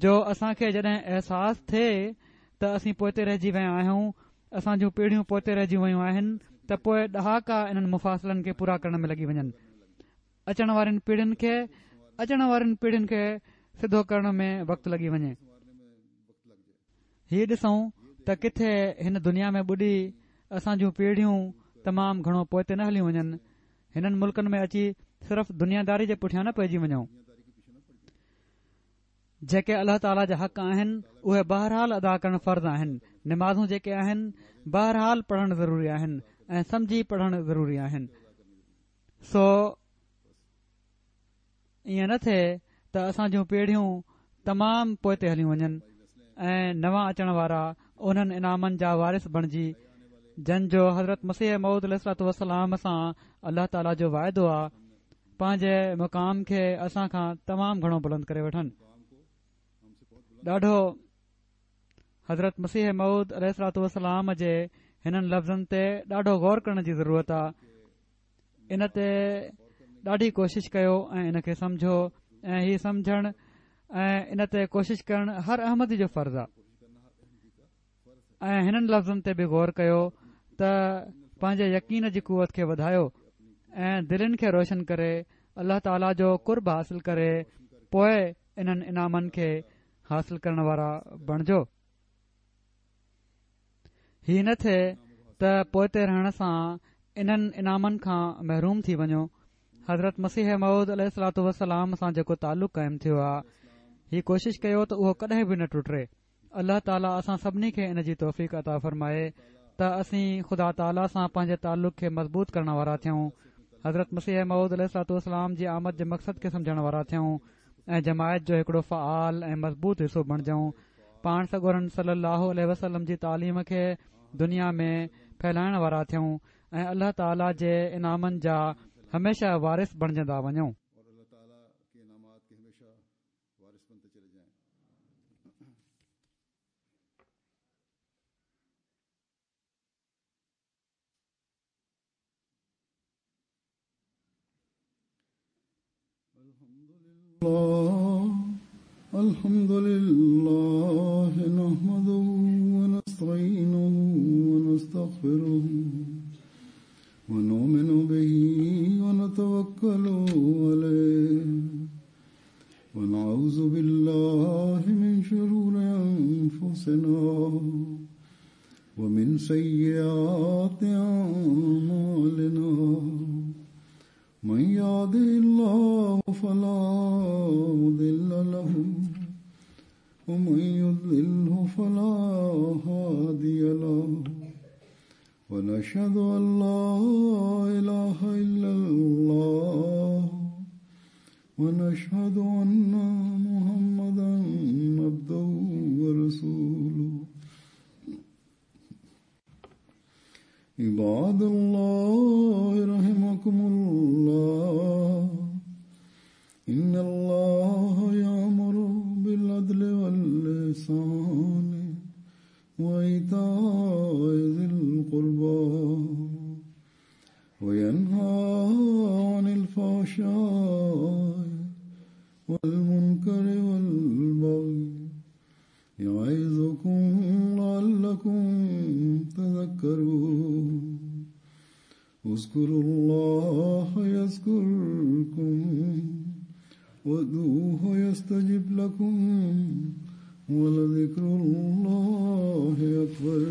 جو اسان کي جڏهن احساس ٿئي ته اسين پوئتي رهجي ويا آهيون اسان جون پيڙهيون پوئتي رهجي ويون آهن ته پوء ڏهاڪا انهن مفاصلن کي پورا ڪرڻ ۾ لڳي وڃن اچڻ وارين پيڙهين کي اچڻ وارين پيڙهين کي سڌو ڪرڻ ۾ وقت لڳي وڃي. هي ڏسون ته ڪٿي هن دنيا ۾ ٻڏي اسان جون پيڙهيون تمام گهڻو پوئتي نه هليون وڃن. هنن ملڪن ۾ اچي صرف دنياداري جي پٺيان نه پئجي وڃون. جيڪي الله تعاليٰ جا حق آهن اهي بهرحال ادا ڪرڻ فرض آهن نمازون جيڪي آهن بهرحال پڙهڻ ضروري آهن ۽ سمجهي پڙهڻ ضروري آهن. سو ائين نه ٿئي ته اسان جون پيڙهيون تمام پوئتي هليون وڃن ۽ نوان اچڻ وارا انهن انعامن جا وارث بڻجي جن جو حضرت مسيح موعود عليه الصلوة والسلام سان الله تعاليٰ جو واعدو آ پنهنجي مقام کي اسان کان تمام گهڻو بلند ڪري وٺن ڏاڍو حضرت مسيح موعود عليه الصلوة والسلام جي هنن لفظن تي ڏاڍو غور ڪرڻ جي ضرورت آ ان تي ڏاڍي ڪوشش ڪيو ۽ ان کي سمجهو ۽ هي سمجهڻ ۽ ان تي ڪوشش ڪرڻ هر احمدي جو فرض آ ۽ هنن لفظن تي به غور ڪيو ته پنهنجي يقين جي قوت کي وڌايو ۽ دلين کي روشن ڪري الله تعاليٰ جو قرب حاصل ڪري پوء انهن انعامن کي حاصل ڪرڻ وارا بڻجو. هي نه ٿئي ته پوئتي رهڻ سان انهن انعامن کان محروم ٿي وڃو. حضرت مسيح موعود عليه الصلوة والسلام سان جيڪو تعلق قائم ٿيو آ، هي ڪوشش ڪيو ته اهو ڪڏهن به نه ٽٽي. الله تعاليٰ اسان سڀني کي ان جي توفيق عطا فرمائي ته اسين خدا تعاليٰ سان پنهنجي تعلق کي مضبوط ڪرڻ وارا ٿيون، حضرت مسيح موعود عليه الصلوة والسلام جي آمد جي مقصد کي سمجهڻ وارا ٿيون ۽ جماعت جو هڪڙو فعال ۽ مضبوط حصو بڻجون، پاڻ سڳورن صلي الله عليه وسلم جي تعليم کي دنيا ۾ ڦهلائڻ وارا ٿيون ۽ الله تعاليٰ جي انعامن جا هميشه وارث بڻجندا وڃون. الحمد لله نحمده ونستعينه ونستغفره ونؤمن به ونتوكل عليه ونعوذ بالله من شرور أنفسنا ومن سيئات أعمالنا من يهده الله فلا مضل له ومن يضلله فلا هادي له ونشهد أن لا إله إلا الله ونشهد أن محمدا عبده ورسوله عباد الله رحمكم الله إن الله يأمر بالعدل واللسان وإيتاء ذي القربى وينهى عن الفحشاء والمنكر والبغي يعظكم لعلكم تذكرون اذكروا الله يذكركم وادعوه يستجب لكم ولذكر الله أكبر.